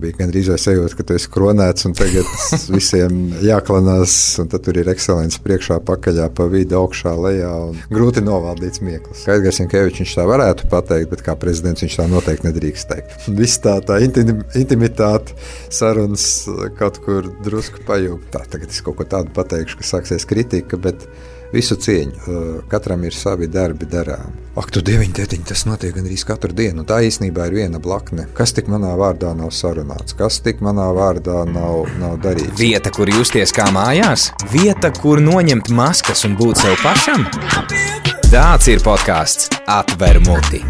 bija gandrīz vai sajūta, ka tu esi kronēts un tagad visiem jāklanās, un tad tur ir ekscelents priekšā, pakaļā, pa vidu, augšā, lejā, un grūti novaldīts mieklis. Kā Edgars Jankevičs viņš tā varētu pateikt, bet kā prezidents viņš tā noteikti nedrīkst teikt. Viss tā intimitāte, sarunas kaut kur drusku pajūg. Tā, tagad es kaut ko tādu pateikšu, ka sāksies kritika, bet visu cieņu. Katram ir savi darbi darām. Ak, tu dieviņ, tētiņ, tas notiek gandrīz katru dienu. Tā īstenībā ir viena blakne. Kas tik manā vārdā nav sarunāts? Kas tik manā vārdā nav darīts? Vieta, kur justies kā mājās? Vieta, kur noņemt maskas un būt sev pašam? Tāds ir podcasts Atver muti.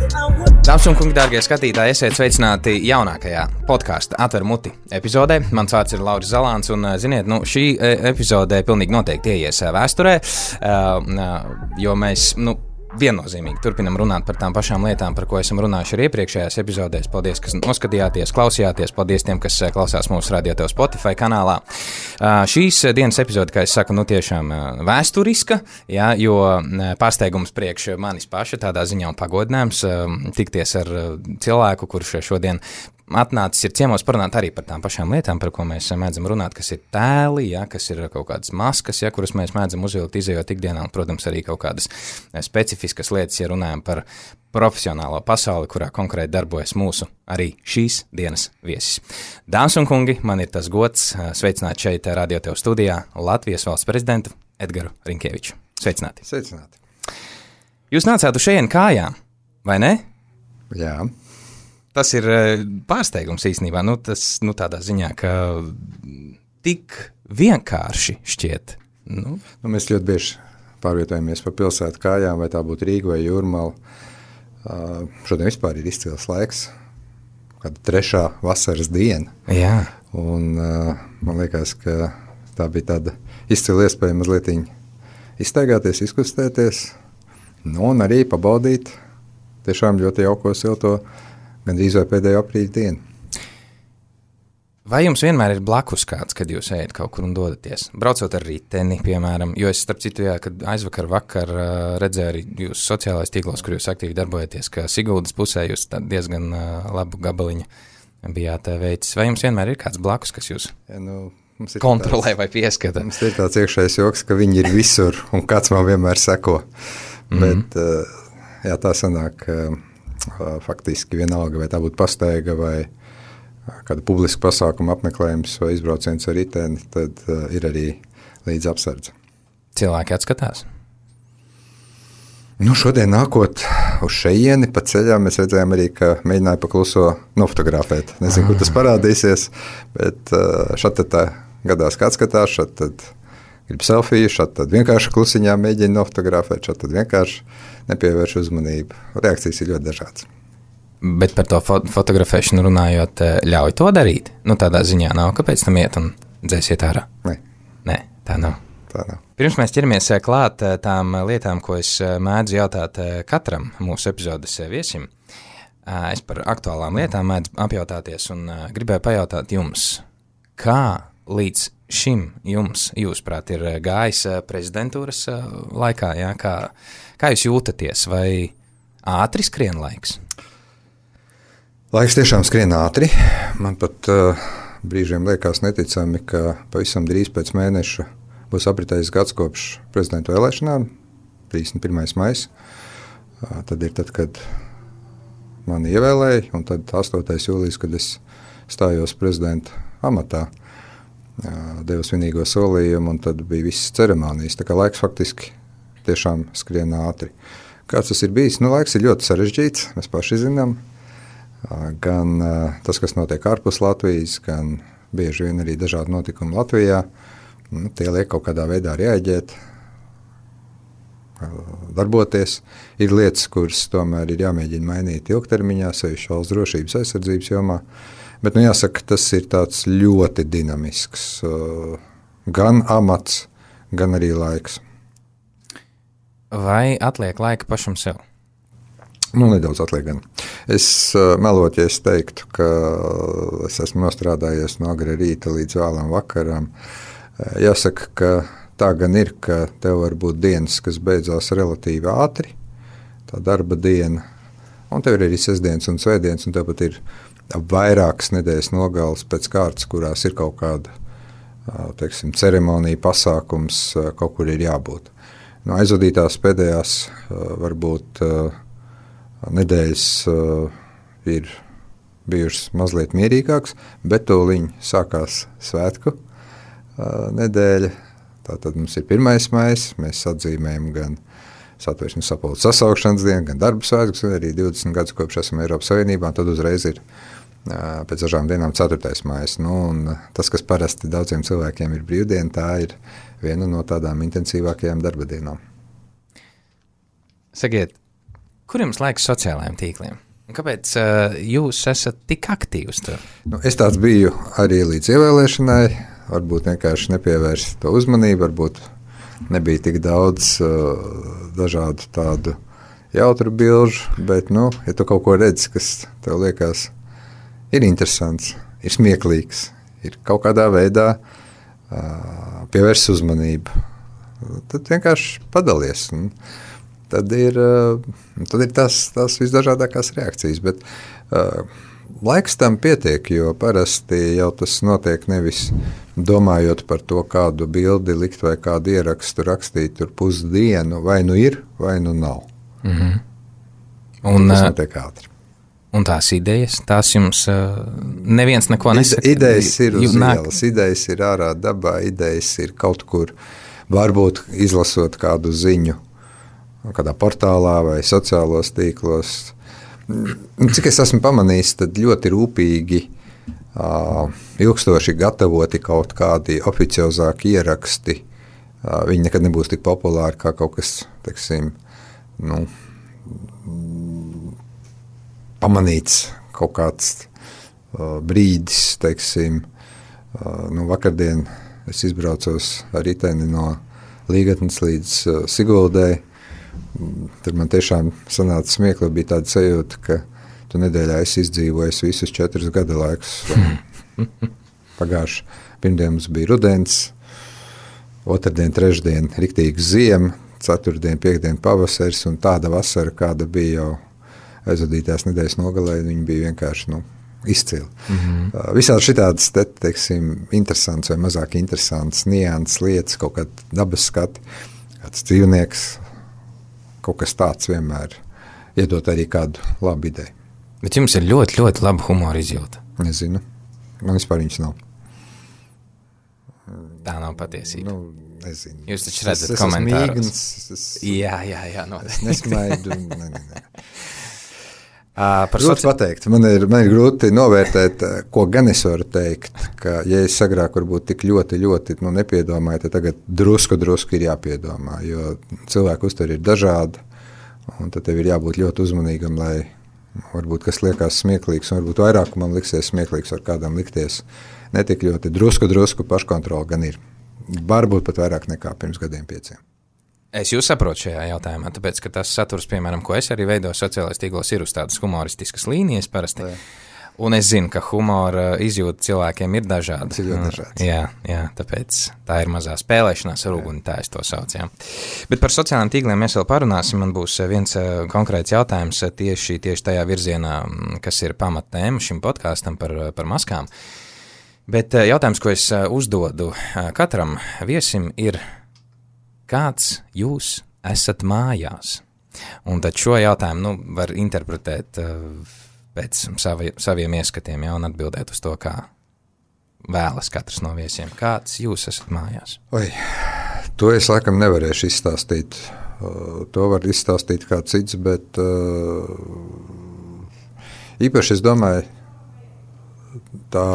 Dāmas un kungi, dārgie skatītāji, esiet sveicināti jaunākajā podkāsta Atver muti epizodē. Mans vārds ir Lauris Zalāns, un, ziniet, šī epizodē pilnīgi noteikti ieies vēsturē, jo mēs, viennozīmīgi turpinam runāt par tām pašām lietām, par ko esam runājuši arī iepriekšējās epizodēs. Paldies, kas noskatījāties, klausījāties. Paldies tiem, kas klausās mūsu Radio Tev Spotify kanālā. Šīs dienas epizode, kā es saku, tiešām vēsturiska, ja, jo pārsteigums priekš manis paša tādā ziņā un pagodinājums tikties ar cilvēku, kurš šodien atnācis ir ciemos parunāt arī par tām pašām lietām, par ko mēs mēdzam runāt, kas ir tēli, ja, kas ir kaut kādas maskas, ja, kuras mēs mēdzam uzvilkt izejot ikdienā, un, protams, arī kaut kādas specifiskas lietas, ja runājam par profesionālo pasauli, kurā konkrēti darbojas mūsu arī šīs dienas viesis. Dāmas un kungi, man ir tas gods sveicināt šeit Radio Tev studijā Latvijas valsts prezidentu Edgaru Rinkeviču. Sveicināti. Sveicināti. Jūs nācāt uz šejien kājām, vai ne? Jā. Tas ir pārsteigums īstenībā, tas tādā ziņā, ka tik vienkārši šķiet. Mēs ļoti bieži pārvietojamies pa pilsētu kājām, vai tā būtu Rīga vai Jūrmala. Šodien vispār ir izcils laiks, kāda 3. vasaras diena. Jā. Un man liekas, ka tā bija tāda izcila iespēja mazliet izstaigāties, izkustēties, un arī pabaudīt tiešām ļoti jauko silto gandrīz vai pēdējo aprīļa dienu. Vai jums vienmēr ir blakus kāds, kad jūs ejat kaut kur un dodaties? Braucot ar riteni, piemēram, jo es starp citu, kad vakar redzēju arī jūsu sociālais tīklos, kur jūs aktīvi darbojaties, ka Siguldas pusē jūs diezgan labu gabaliņu bijāt veicis. Vai jums vienmēr ir kāds blakus, kas jūs kontrolē vai pieskata? Mums ir tāds iekšējais joks, ka viņi ir visur un kāds man vienmēr seko. Bet jā, tā sanāk, faktiski vienalga, vai tā būtu pastaiga vai kāda publiska pasākuma apmeklējums vai izbrauciens ar riteni, tad ir arī līdz apsardze. Cilvēki atskatās? Šodien nākot uz šejieni pa ceļām, mēs redzējām arī, ka mēģināja pakluso nofotografēt. Nezinu, kur tas parādīsies, bet šad tad gadās, kā atskatās, šad tad grib selfiju, šad tad vienkārši klusiņā mēģina nofotografēt, šad tad vienkārši nepievērš uzmanību. Reakcijas ir ļoti dažādas. Bet par to fotografēšanu runājot, ļauj to darīt? Tādā ziņā nav, kāpēc tam iet un dzēsiet ārā? Nē, tā nav. Pirms mēs ķeramies klāt tām lietām, ko es mēdzu jautāt katram mūsu epizodes viesim, es par aktuālām lietām mēdzu apjautāties un gribēju pajautāt jums, kā līdz šim jums, jūsuprāt, ir gājis prezidentūras laikā, jā? Kā jūs jūtaties, vai ātri skrien laiks? Laiks tiešām skrien ātri. Man pat brīžiem liekas neticami, ka pavisam drīz pēc mēneša būs apritējis gads kopš prezidentu vēlēšanām, 31. maijs. Tad ir tad, kad mani ievēlēja, un tad 8. jūlijas, kad es stājos prezidenta amatā, devu svinīgo solījumu, un tad bija visas ceremonijas. Tā kā laiks faktiski tiešām skrien ātri. Kāds tas ir bijis? Laiks ir ļoti sarežģīts, mēs paši zinām. Gan tas, kas notiek ārpus Latvijas, gan bieži vien arī dažādi notikumi Latvijā. Tie liek kaut kādā veidā reaģēt, darboties. Ir lietas, kuras tomēr ir jāmēģina mainīt ilgtermiņā, sevišķi valsts drošības aizsardzības jomā. Bet, jāsaka, tas ir tāds ļoti dinamisks gan amats, gan arī laiks. Vai atliek laika pašam sev? Nedaudz atliek gan. Es melot, ja es teiktu, ka es esmu nostrādājies no agra rīta līdz vēlam vakaram. Jāsaka, ka tā gan ir, ka tev var būt dienas, kas beidzās relatīvi ātri, tā darba diena, un tev ir arī sestdienas un svētdienas, un tev pat ir vairākas nedēļas nogales pēc kārtas, kurās ir kaut kāda teiksim, ceremonija, pasākums, kaut kur ir jābūt. No aizvadītās pēdējās varbūt nedēļas ir bijušas mazliet mierīgākas, bet tūliņ sākās svētku nedēļa. Tātad mums ir 1. maijs, mēs atzīmējam gan Satversmes sapulces sasaukšanas dienu, gan darba svētkus, arī 20 gadus kopš esam Eiropas Savienībā, un tad uzreiz ir pēc dažām dienām 4. maijs. Un tas, kas parasti daudziem cilvēkiem ir brīvdiena, tā ir viena no tādām intensīvākajām darba dienām. Sakiet, kur jums laiks sociālajiem tīkliem? Un kāpēc jūs esat tik aktīvs tur? Es tāds biju arī līdz ievēlēšanai, varbūt vienkārši nepievērst to uzmanību, varbūt nebija tik daudz dažādu tādu jautru bilžu, bet, ja tu kaut ko redzi, kas tev liekas ir interesants, ir smieklīgs, ir kaut kādā veidā pievērst uzmanību, tad vienkārši padalies. Tad ir tās visdažādākās reakcijas, bet laiks tam pietiek, jo parasti jau tas notiek nevis domājot par to, kādu bildi likt vai kādu ierakstu rakstīt tur pusdienu, vai nu ir, vai nu nav. Mm-hmm. Un tas notiek ātri. Un tās idejas, tās jums neviens neko nesaka? Idejas ir uz ielas, idejas ir ārā dabā, idejas ir kaut kur, varbūt izlasot kādu ziņu, kādā portālā vai sociālos tīklos. Cik es esmu pamanījis, tad ļoti rūpīgi, ilgstoši gatavoti kaut kādi oficiozāki ieraksti. Viņi nekad nebūs tik populāri kā kaut kas, teiksim, pamanīts kaut kāds brīdis, teiksim. Vakardien es izbraucos ar riteni no Līgatnes līdz Siguldai. Tur man tiešām sanāca smieklīgi, bija tāda sajūta, ka tu nedēļā esi izdzīvojis visus 4 gada laikus. Pagājuši pirmdien mums bija rudens, otrdien, trešdien riktīgi ziema, ceturtdien, piekdien pavasaris un tāda vasara, kāda bija jau aizvadītās nedēļas nogalē, viņi bija vienkārši izcili. Mm-hmm. Visādi šitādas, teiksim, interesants vai mazāk interesants nianses lietas, kaut kāda dabas skati, kāds dzīvnieks, kaut kas tāds vienmēr iedot arī kādu labu ideju. Bet jums ir ļoti, ļoti laba humora izjūta. Nezinu. Man vispār viņas nav. Tā nav patiesība. Nezinu. Jūs taču redzat komentārus. Jā. Es nesmaidu. Nē. Grūti pateikt. Man ir grūti novērtēt, ko gan es varu teikt, ka, ja es agrāk varbūt tik ļoti nepiedomāju, tad tagad drusku ir jāpiedomā, jo cilvēku uztveri ir dažādi, un tad tev ir jābūt ļoti uzmanīgam, lai varbūt kas liekas smieklīgs, un varbūt vairāk man liksies smieklīgs, var kādam likties netik ļoti drusku paškontrola gan ir. Varbūt pat vairāk nekā pirms gadiem 5. Es jūs saprotu šajā jautājumā, tāpēc, ka tas saturs, piemēram, ko es arī veidoju sociālais tīklos, ir uz tādas humoristiskas līnijas parasti. Jā. Un es zinu, ka humora izjūta cilvēkiem ir dažāda. Jā, tāpēc tā ir mazā spēlēšanās ar uguni, tā es to saucu. Jā. Bet par sociālajiem tīkliem mēs vēl parunāsim. Man būs viens konkrēts jautājums tieši tajā virzienā, kas ir pamatnēma šim podkāstam par maskām. Bet jautājums, ko es uzdodu katram viesim, ir, kāds jūs esat mājās? Un tad šo jautājumu var interpretēt pēc saviem ieskatiem, un atbildēt uz to, kā vēlas katrs no viesiem. Kāds jūs esat mājās? To es laikam nevarēšu izstāstīt. To var izstāstīt kā cits, bet īpaši es domāju, tā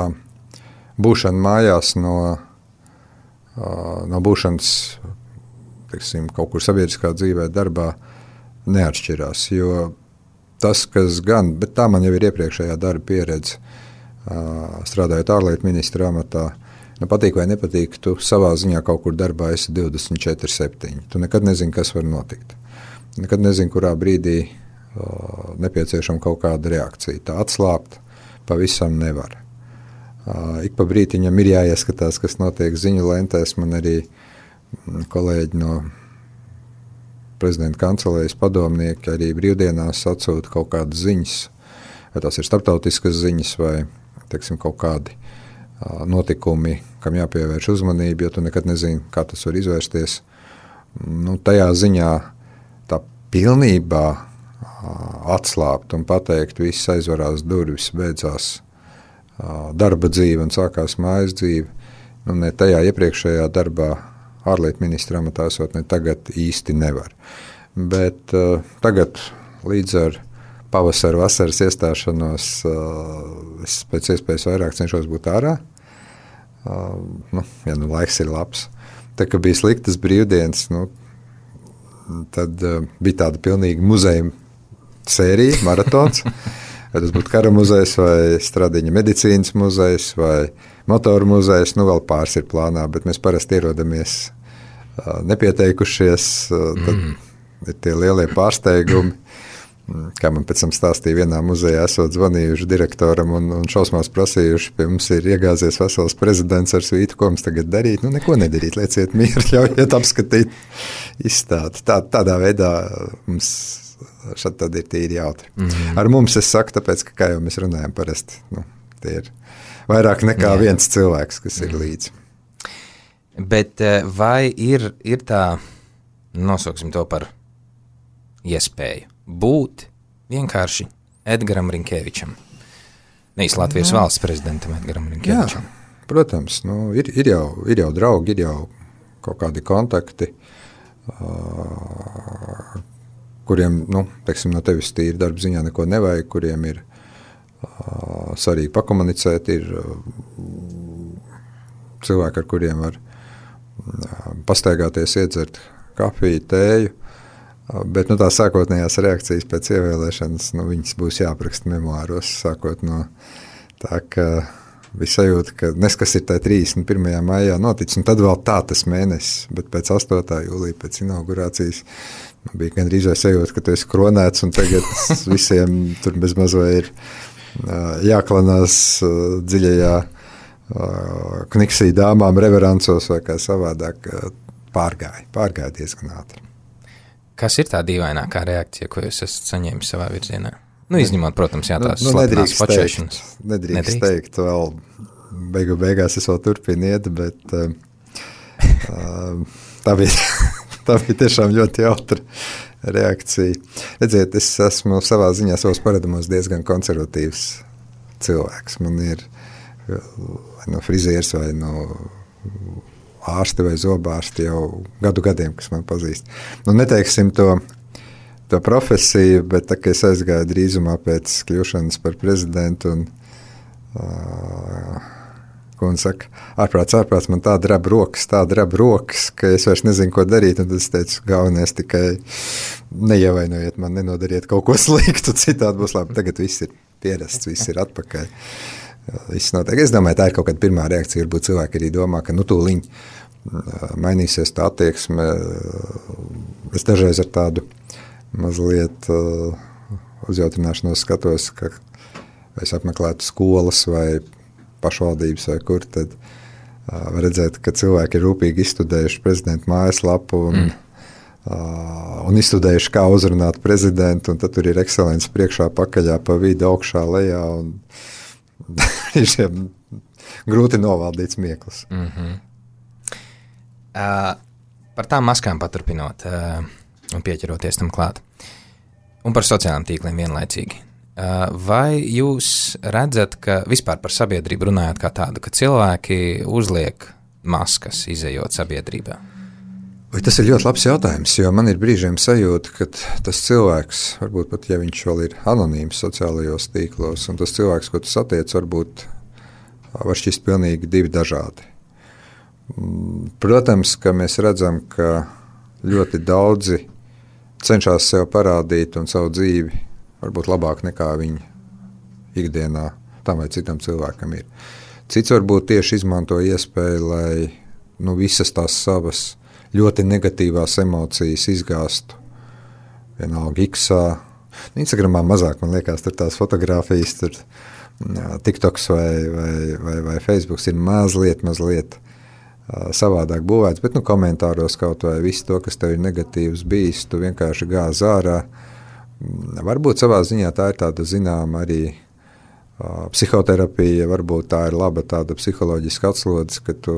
būšana mājās no būšanas, teiksim, kaut kur sabiedriskā dzīvē, darbā neatšķirās, jo tas, kas gan, bet tā man jau ir iepriekšējā darba pieredze, strādājot ārlietu ministra amatā, patīk vai nepatīk, tu savā ziņā kaut kur darbā esi 24/7. Tu nekad nezini, kas var notikt. Nekad nezini, kurā brīdī nepieciešama kaut kāda reakcija. Tā atslābt pavisam nevar. Ik pa brītiņam ir jāieskatās, kas notiek ziņu lentēs. Man arī kolēģi no prezidenta kancelējas padomnieki arī brīvdienās atsūta kaut kādas ziņas vai tās ir starptautiskas ziņas vai, teiksim, kaut kādi notikumi, kam jāpievērš uzmanība, jo tu nekad nezini, kā tas var izvērsties. Nu, tajā ziņā tā pilnībā atslābt un pateikt, viss aizvarās durvis, beidzās darba dzīve un sākās mājas dzīve. Nu, ne tajā iepriekšējā darbā ārlietu ministra amatā esot, ne tagad īsti nevar. Bet tagad līdz ar pavasara, vasaras iestāšanos es pēc iespējas vairāk cenšos būt ārā. Ja nu laiks ir labs. Tā kā bija sliktas brīvdienas, tad bija tāda pilnīga muzeja sērija, maratons. Vai tas būtu kara muzejs vai Stradiņa medicīnas muzejs vai motoru muzejs, vēl pāris ir plānā, bet mēs parasti ierodamies nepieteikušies, tad ir tie lielie pārsteigumi. Kā man pēc tam stāstīja, vienā muzejā esot zvanījuši direktoram un šausmās prasījuši, pie mums ir iegāzies vesels prezidents ar svītu, ko mums tagad darīt. Neko nedarīt, lieciet mieru, ļaujiet apskatīt izstādi. Tādā veidā mums šad tad ir tīri jautri. Ar mums es saku, tāpēc, ka, kā jau mēs runājam parasti, tie ir vairāk nekā viens cilvēks, kas ir līdzi. Bet vai ir tā, nosauksim to par iespēju, būt vienkārši Edgaram Rinkēvičam, nevis Latvijas valsts prezidentam Edgaram Rinkēvičam? Jā, protams, ir jau draugi, ir jau kaut kādi kontakti, kuriem, teiksim, no tevis tīri darba ziņā neko nevajag, kuriem ir svarīgi pakomunicēt, ir cilvēki, ar kuriem var pastaigāties, iedzert kafiju, tēju, bet tā sākotnējās reakcijas pēc ievēlēšanas, viņas būs jāapraksta memoāros, sākot no tā, ka bija sajūta, ka neskas ir tā 31. maijā noticis, un tad vēl tā tas mēnesis, bet pēc 8. jūlija, pēc inaugurācijas, bija gandrīz vai sajūta, ka tu esi kronēts, un tagad visiem tur bez mazo ir jāklanās dziļajā kniksī dāmām reverencos vai kā savādāk pārgāja diezgan ātri. Kas ir tā dīvainākā reakcija, ko jūs esat saņēmis savā virzienā? Izņemot, protams, tās slapenās počēšanas. Nedrīkst teikt, vēl beigās es vēl turpinu iet, bet tā bija tiešām ļoti jautra reakcija. Redziet, es esmu savā ziņā savos paradumos diezgan konservatīvs cilvēks. Man ir vai no frizieris vai no ārsti vai zobārsti jau gadiem, kas man pazīst. Neteiksim to profesiju, bet tā, ka es aizgāju drīzumā pēc kļūšanas par prezidentu un ko un saka, ārprāts, man tā drab rokas, ka es vairs nezinu, ko darīt, un tad es teicu, galvenais tikai neievainojiet man, nenodariet kaut ko sliktu, citādi būs labi. Tagad viss ir pierasts, viss ir atpakaļ. Es domāju, tā ir kaut kāda pirmā reakcija, varbūt cilvēki arī domā, ka tūliņ mainīsies tā attieksme. Es dažreiz ar tādu mazliet uzjautrināšanos skatos, ka es apmeklētu skolas vai pašvaldības vai kur, tad var redzēt, ka cilvēki ir rūpīgi izstudējuši prezidentu mājaslapu un izstudējuši, kā uzrunāt prezidentu, un tad tur ir ekscelence priekšā, pakaļā, pa vidu, augšā, lejā, un ir grūti novaldīts mieklis. Par tām maskām paturpinot un pieķeroties tam klāt. Un par sociālajiem tīkliem vienlaicīgi. Vai jūs redzat, ka vispār par sabiedrību runājot kā tādu, ka cilvēki uzliek maskas, izejot sabiedrībā? Tas ir ļoti labs jautājums, jo man ir brīžiem sajūta, ka tas cilvēks, varbūt pat, ja viņš vēl ir anonīms sociālajos tīklos, un tas cilvēks, ko tu satiec, varbūt var šķist pilnīgi divi dažādi. Protams, ka mēs redzam, ka ļoti daudzi cenšas sev parādīt un savu dzīvi varbūt labāk nekā viņi ikdienā tam vai citam cilvēkam ir. Cits varbūt tieši izmanto iespēju, lai visas tās savas ļoti negatīvās emocijas izgāstu. Vienalga X-ā. Instagramā mazāk, man liekas, tur tās fotogrāfijas, tur TikToks vai Facebooks ir mazliet savādāk būvēts, bet komentāros kaut vai visu to, kas tev ir negatīvs bijis, tu vienkārši gāz ārā. Varbūt savā ziņā tā ir tāda zināma arī Psihoterapija varbūt tā ir laba tāda psiholoģiska atslodze, ka tu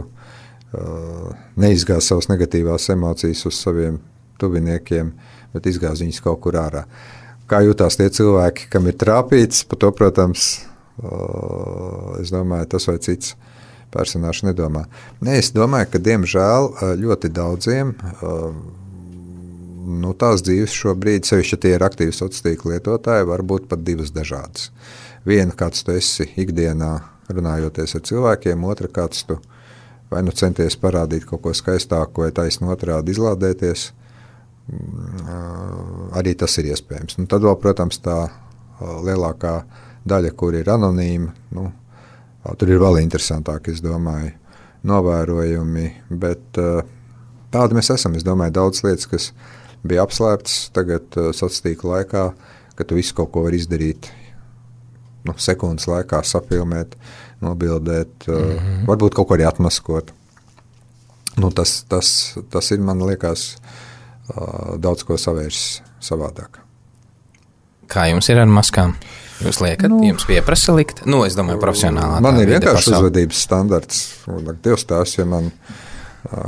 neizgāz savas negatīvās emocijas uz saviem tuviniekiem, bet izgāz viņus kaut kur ārā. Kā jūtās tie cilvēki, kam ir trāpīts, par to, protams, es domāju, tas vai cits personāžs nedomā. Es domāju, ka diemžēl ļoti daudziem tās dzīves šobrīd, sevišķi tie ir aktīvi sociālo tīklu lietotāji, var būt pat divas dažādas. Viena, kāds tu esi ikdienā runājoties ar cilvēkiem, otra, kāds tu vai nu centies parādīt kaut ko skaistāku, vai taisni otrādi izlādēties, arī tas ir iespējams. Tad vēl, protams, tā lielākā daļa, kur ir anonīma, tur ir vēl interesantāk, es domāju, novērojumi, bet tādi mēs esam. Es domāju, daudz lietas, kas bija apslēptas tagad sociālā tīkla laikā, ka tu visu kaut ko var izdarīt sekundes laikā, sapilmēt, nobildēt, varbūt kaut ko arī atmaskot. Tas ir, man liekas, daudz ko savērsis savādāk. Kā jums ir ar maskām? Jūs liekat, jums pieprasa likt? Es domāju, profesionālā. Man ir vienkārši uzvedības standarts. Dievs tās, ja man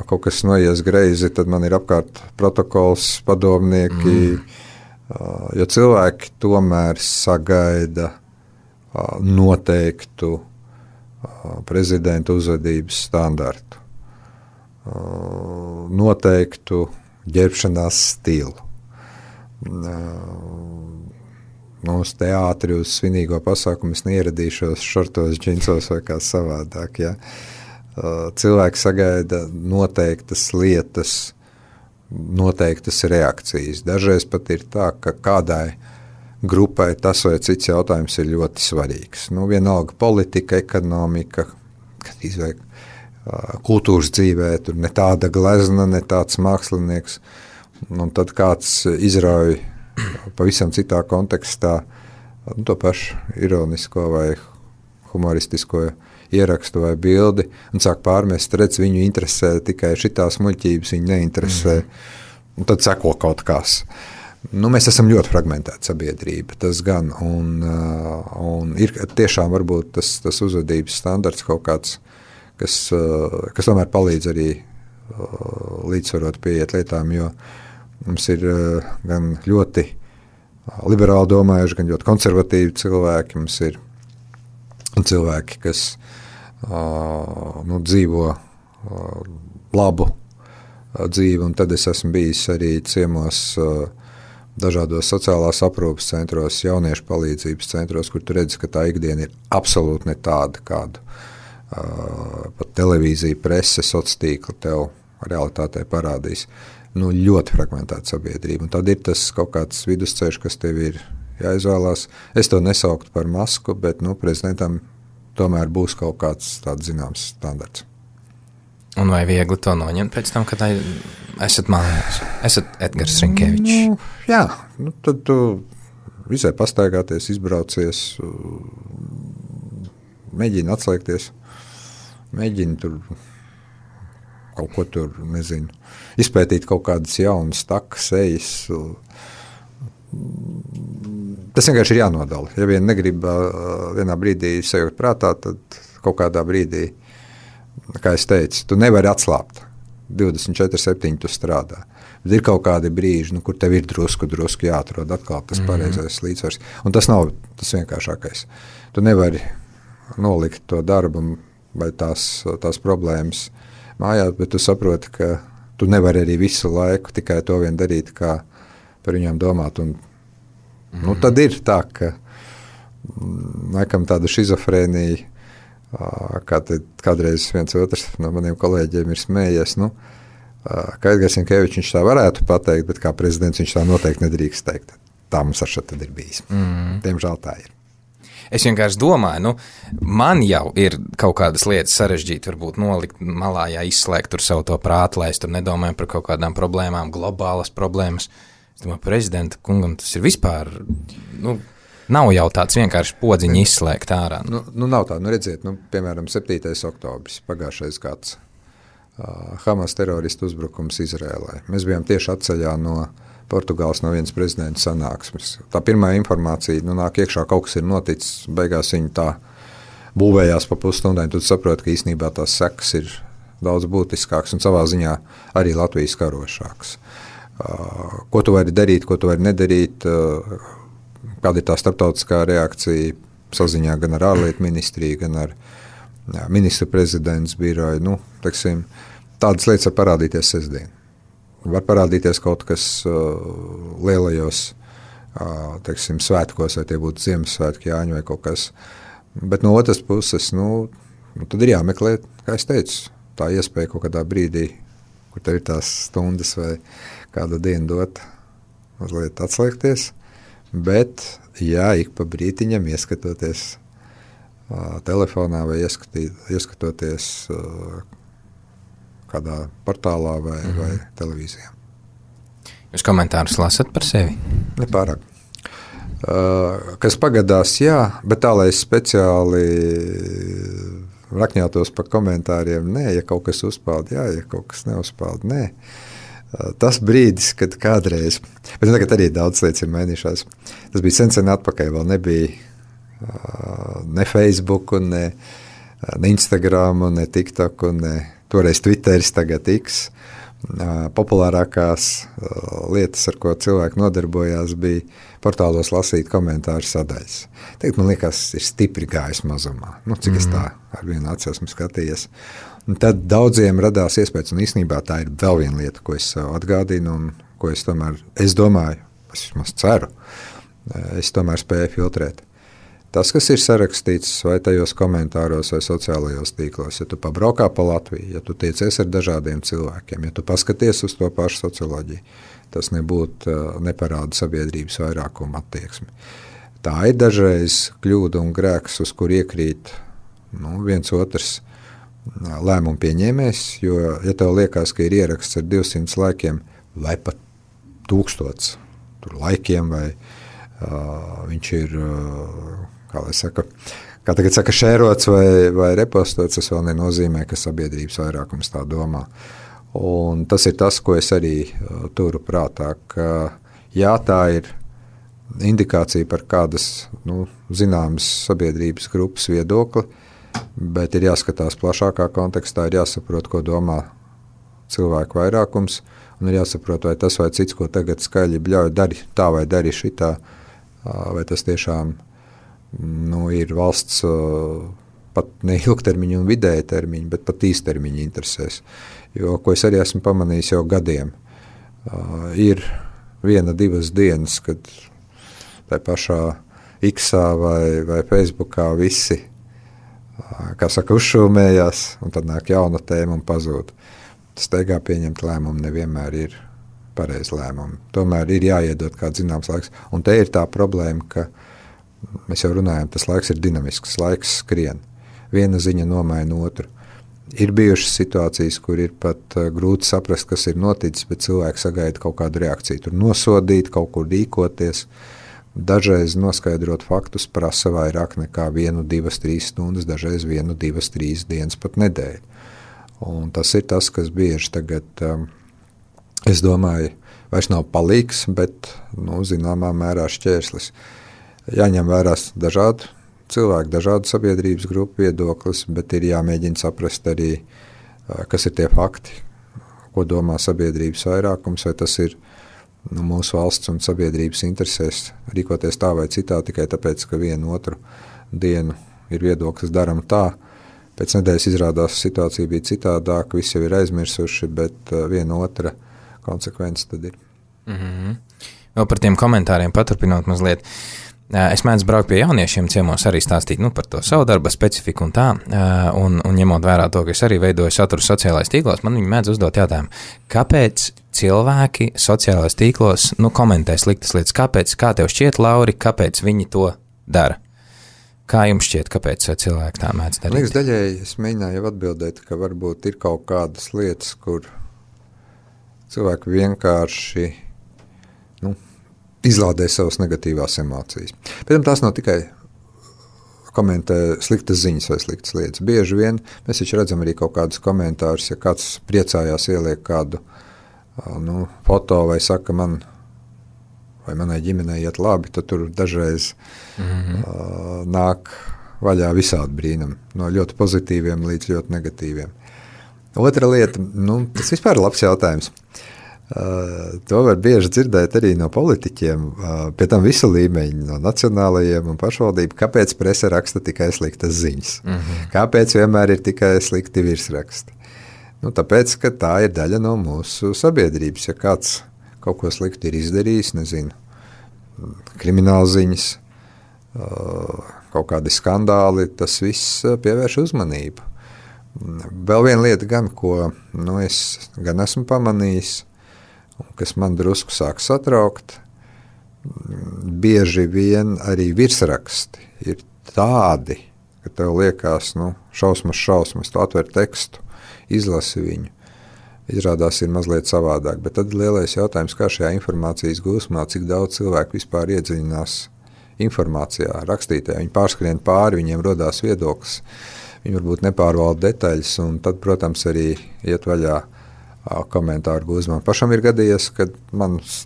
kaut kas noies greizi, tad man ir apkārt protokols, padomnieki, jo cilvēki tomēr sagaida noteiktu prezidenta uzvedības standartu, noteiktu ģērbšanās stilu. Uz teātri, uz svinīgo pasākumu es neieradīšos šortos, džinsos vai kā savādāk. Ja? Cilvēki sagaida noteiktas lietas, noteiktas reakcijas. Dažreiz pat ir tā, ka kādai grupai tas vai cits jautājums ir ļoti svarīgs. Vienalga politika, ekonomika, kultūras dzīvē, tur ne tāda glezna, ne tāds mākslinieks. Tad kāds izrauj pavisam citā kontekstā to pašu ironisko vai humoristisko ierakstu vai bildi un sāk pārmest, redz, viņu interesē tikai šitās muļķības, viņu neinteresē. Un tad seko kaut kas. Mēs esam ļoti fragmentēta sabiedrība, tas gan. Un ir tiešām varbūt tas uzvedības standarts kaut kāds, kas tomēr palīdz arī līdzsvarot pieiet lietām, jo mums ir gan ļoti liberāli domājuši, gan ļoti konservatīvi cilvēki. Mums ir cilvēki, kas dzīvo labu dzīvi, un tad es esmu bijis arī ciemos dažādos sociālās aprūpes centros, jauniešu palīdzības centros, kur tu redzi, ka tā ikdiena ir absolūti ne tāda, kādu pat televīzija, prese, sociālā tīkla tev realitātē parādīs. Ļoti fragmentēta sabiedrība. Un tad ir tas kaut kāds vidusceļš, kas tev ir jāizvēlās. Es to nesauktu par masku, bet prezidentam tomēr būs kaut kāds tāds zināms standarts. Un vai viegli to noņemt pēc tam, kad esat mājās? Esat Edgars Rinkevičs. Jā, tad tu visai pastaigāties, izbraucies, mēģini atslēgties, mēģini tur kaut ko tur, nezinu, izpētīt kaut kādas jaunas takas, ejas. Tas vienkārši ir jānodala. Ja vien negrib vienā brīdī sajūt prātā, tad kaut kādā brīdī, kā es teicu, tu nevari atslāpt. 24/7 tu strādā. Bet ir kaut kādi brīži, kur tev ir drusku jāatrod atkal tas pareizais līdzsvars. Un tas nav tas vienkāršākais. Tu nevari nolikt to darbu vai tās problēmas mājās, bet tu saproti, ka tu nevari arī visu laiku tikai to vien darīt, kā par viņām domāt. Un, tad ir tā, ka laikam tāda šizofrēnija, kādreiz viens otrs no maniem kolēģiem ir smējies, ka Edgars Rinkevičs viņš tā varētu pateikt, bet kā prezidents viņš tā noteikti nedrīkst teikt. Tā mums ar šo tad ir bijis. Diemžēl tā ir. Es vienkārši domāju, man jau ir kaut kādas lietas sarežģīti, varbūt nolikt malā, izslēgt tur savu to prātu, lai es tur nedomāju par kaut kādām problēmām, globālas problēmas. Es domāju, prezidenta kungam tas ir vispār, nav jau tāds vienkārši podziņi izslēgt ārā. Nav tā, redziet, piemēram, 7. oktobris, pagājušais gads, Hamas teroristu uzbrukums Izrēlai. Mēs bijām tieši atceļā no Portugāles no vienas prezidenta sanāksmes. Tā pirmā informācija, nāk iekšā, kaut kas ir noticis, beigās viņi tā būvējās pa pusstundai, tad saproti, ka īstenībā tās sekas ir daudz būtiskākas un savā ziņā arī Latvijas karošākas. Ko tu vari darīt, ko tu vari nedarīt, kāda ir tā starptautiskā reakcija saziņā gan ar ārlietu ministriju, gan ar ministru prezidents biroju. Tādas lietas var parādīties sestdien. Var parādīties kaut kas lielajos svētkos, vai tie būtu Ziemassvētki, Jāņu vai kaut kas. Bet no otras puses, tad ir jāmeklē, kā es teicu, tā iespēja kaut kādā brīdī, kur tev ir tās stundas vai kādu dienu dot, mazliet atslēgties. Bet, ik pa brītiņam ieskatoties telefonā vai ieskatoties kādā portālā vai televīzijā. Jūs komentārus lasat par sevi? Nepārāk. Kas pagadās, jā, bet tā, lai es speciāli rakņātos par komentāriem, nē, ja kaut kas uzpeld, jā, ja kaut kas neuzpeld, nē. Tas brīdis, kad kādreiz, bet tagad arī daudz lietas ir mainījušās, tas bija sen atpakaļ, vēl nebija ne Facebook, ne Instagram, ne TikTok, ne toreiz Twitteris, tagad X. Populārākās lietas, ar ko cilvēki nodarbojās, bija portālos lasīt komentāru sadaļas. Tagad, man liekas, ir stipri gājis mazumā. Cik es tā ar vienu aci esmu skatījies. Un tad daudziem radās iespējas, un īstenībā tā ir vēl viena lieta, ko es atgādinu, un ko es domāju, es vismaz ceru, es tomēr spēju filtrēt. Tas, kas ir sarakstīts vai tajos komentāros vai sociālajos tīklos, ja tu pabraukā pa Latviju, ja tu tiecies ar dažādiem cilvēkiem, ja tu paskaties uz to pašu socioloģiju, tas neparāda sabiedrības vairākuma attieksmi. Tā ir dažreiz kļūda un grēks, uz kur iekrīt viens otrs lēmumu pieņēmējs, jo, ja tev liekas, ka ir ieraksts ar 200 laikiem vai pat 1000 laikiem, vai viņš ir, kā tagad saka, šērots vai repostots, tas vēl nenozīmē, ka sabiedrības vairākums tā domā. Un tas ir tas, ko es arī turu prātā, ka jā, tā ir indikācija par kādas zināmas sabiedrības grupas viedokli, bet ir jāskatās plašākā kontekstā, ir jāsaprot, ko domā cilvēku vairākums, un ir jāsaprot, vai tas vai cits, ko tagad skaļi bļauj, dari tā vai dari šitā, vai tas tiešām ir valsts pat ne ilgtermiņa un vidēja termiņa, bet pat īstermiņa interesēs. Jo, ko es arī esmu pamanījis jau gadiem, ir 1-2 dienas, kad tai pašā X-ā vai Facebookā visi, kā saka, uzšūmējās, un tad nāk jauna tēma un pazūd. Steigā pieņemt lēmumu nevienmēr ir pareizi lēmumi. Tomēr ir jāiedod kāds zināms laiks. Un te ir tā problēma, ka mēs jau runājam, tas laiks ir dinamisks, laiks skrien. Viena ziņa nomaina otru. Ir bijušas situācijas, kur ir pat grūti saprast, kas ir noticis, bet cilvēki sagaida kaut kādu reakciju. Tur nosodīt, kaut kur rīkoties. Dažreiz noskaidrot faktus prasa vairāk nekā 1, 2, 3 stundas, dažreiz 1, 2, 3 dienas pat nedēļu. Un tas ir tas, kas bieži tagad, es domāju, vairs nav palīgs, bet zināmā mērā šķērslis. Jāņem vērā dažādu cilvēku, dažādu sabiedrības grupu viedoklis, bet ir jāmēģina saprast arī, kas ir tie fakti, ko domā sabiedrības vairākums, vai tas ir mūsu valsts un sabiedrības interesēs rīkoties tā vai citā, tikai tāpēc, ka vienu otru dienu ir viedoklis daram tā. Pēc nedēļas izrādās situācija bija citādāka, visi jau ir aizmirsuši, bet viena otra konsekvence tad ir. Vēl par tiem komentāriem paturpinot mazliet. Es mēdzu braukt pie jauniešiem ciemos arī stāstīt par to savu darba specifiku un tā, un ņemot vērā to, ka es arī veidoju saturu sociālais tīklos, man viņi mēdz uzdot jautājumu, kāpēc cilvēki sociālais tīklos komentē sliktas lietas, kā tev šķiet, Lauri, kāpēc viņi to dara? Kā jums šķiet, kāpēc cilvēki tā mēdz darīt? Liekas, daļēji es mēģināju atbildēt, ka varbūt ir kaut kādas lietas, kur cilvēki vienkārši izlādē savas negatīvās emocijas. Pēc tam tās nav tikai komentē sliktas ziņas vai sliktas lietas. Bieži vien mēs taču redzam arī kaut kādus komentārus, ja kāds priecājās ieliek kādu foto vai saka, man vai manai ģimenei iet labi, tad tur dažreiz nāk vaļā visādi brīnumi, no ļoti pozitīviem līdz ļoti negatīviem. Otra lieta, tas vispār ir labs jautājums. To var bieži dzirdēt arī no politiķiem, pie tam visu līmeņu, no nacionālajiem un pašvaldību, kāpēc prese raksta tikai sliktas ziņas, kāpēc vienmēr ir tikai slikti virsraksti. Tāpēc, ka tā ir daļa no mūsu sabiedrības, ja kāds kaut ko slikti ir izdarījis, nezinu, kriminālziņas, kaut kādi skandāli, tas viss pievērš uzmanību. Vēl viena lieta gan, ko es gan esmu pamanījis, kas man drusku sāk satraukt, bieži vien arī virsraksti ir tādi, ka tev liekas, šausmas, tu atver tekstu, izlasi viņu, izrādās ir mazliet savādāk, bet tad lielais jautājums, kā šajā informācijas gūsmā, cik daudz cilvēku vispār iedziļinās informācijā, rakstītē, viņi pārskrien pāri, viņiem rodās viedoklis, viņi varbūt nepārvalda detaļas, un tad, protams, arī iet vaļā komentāru gūzmā. Pašam ir gadījies, kad manus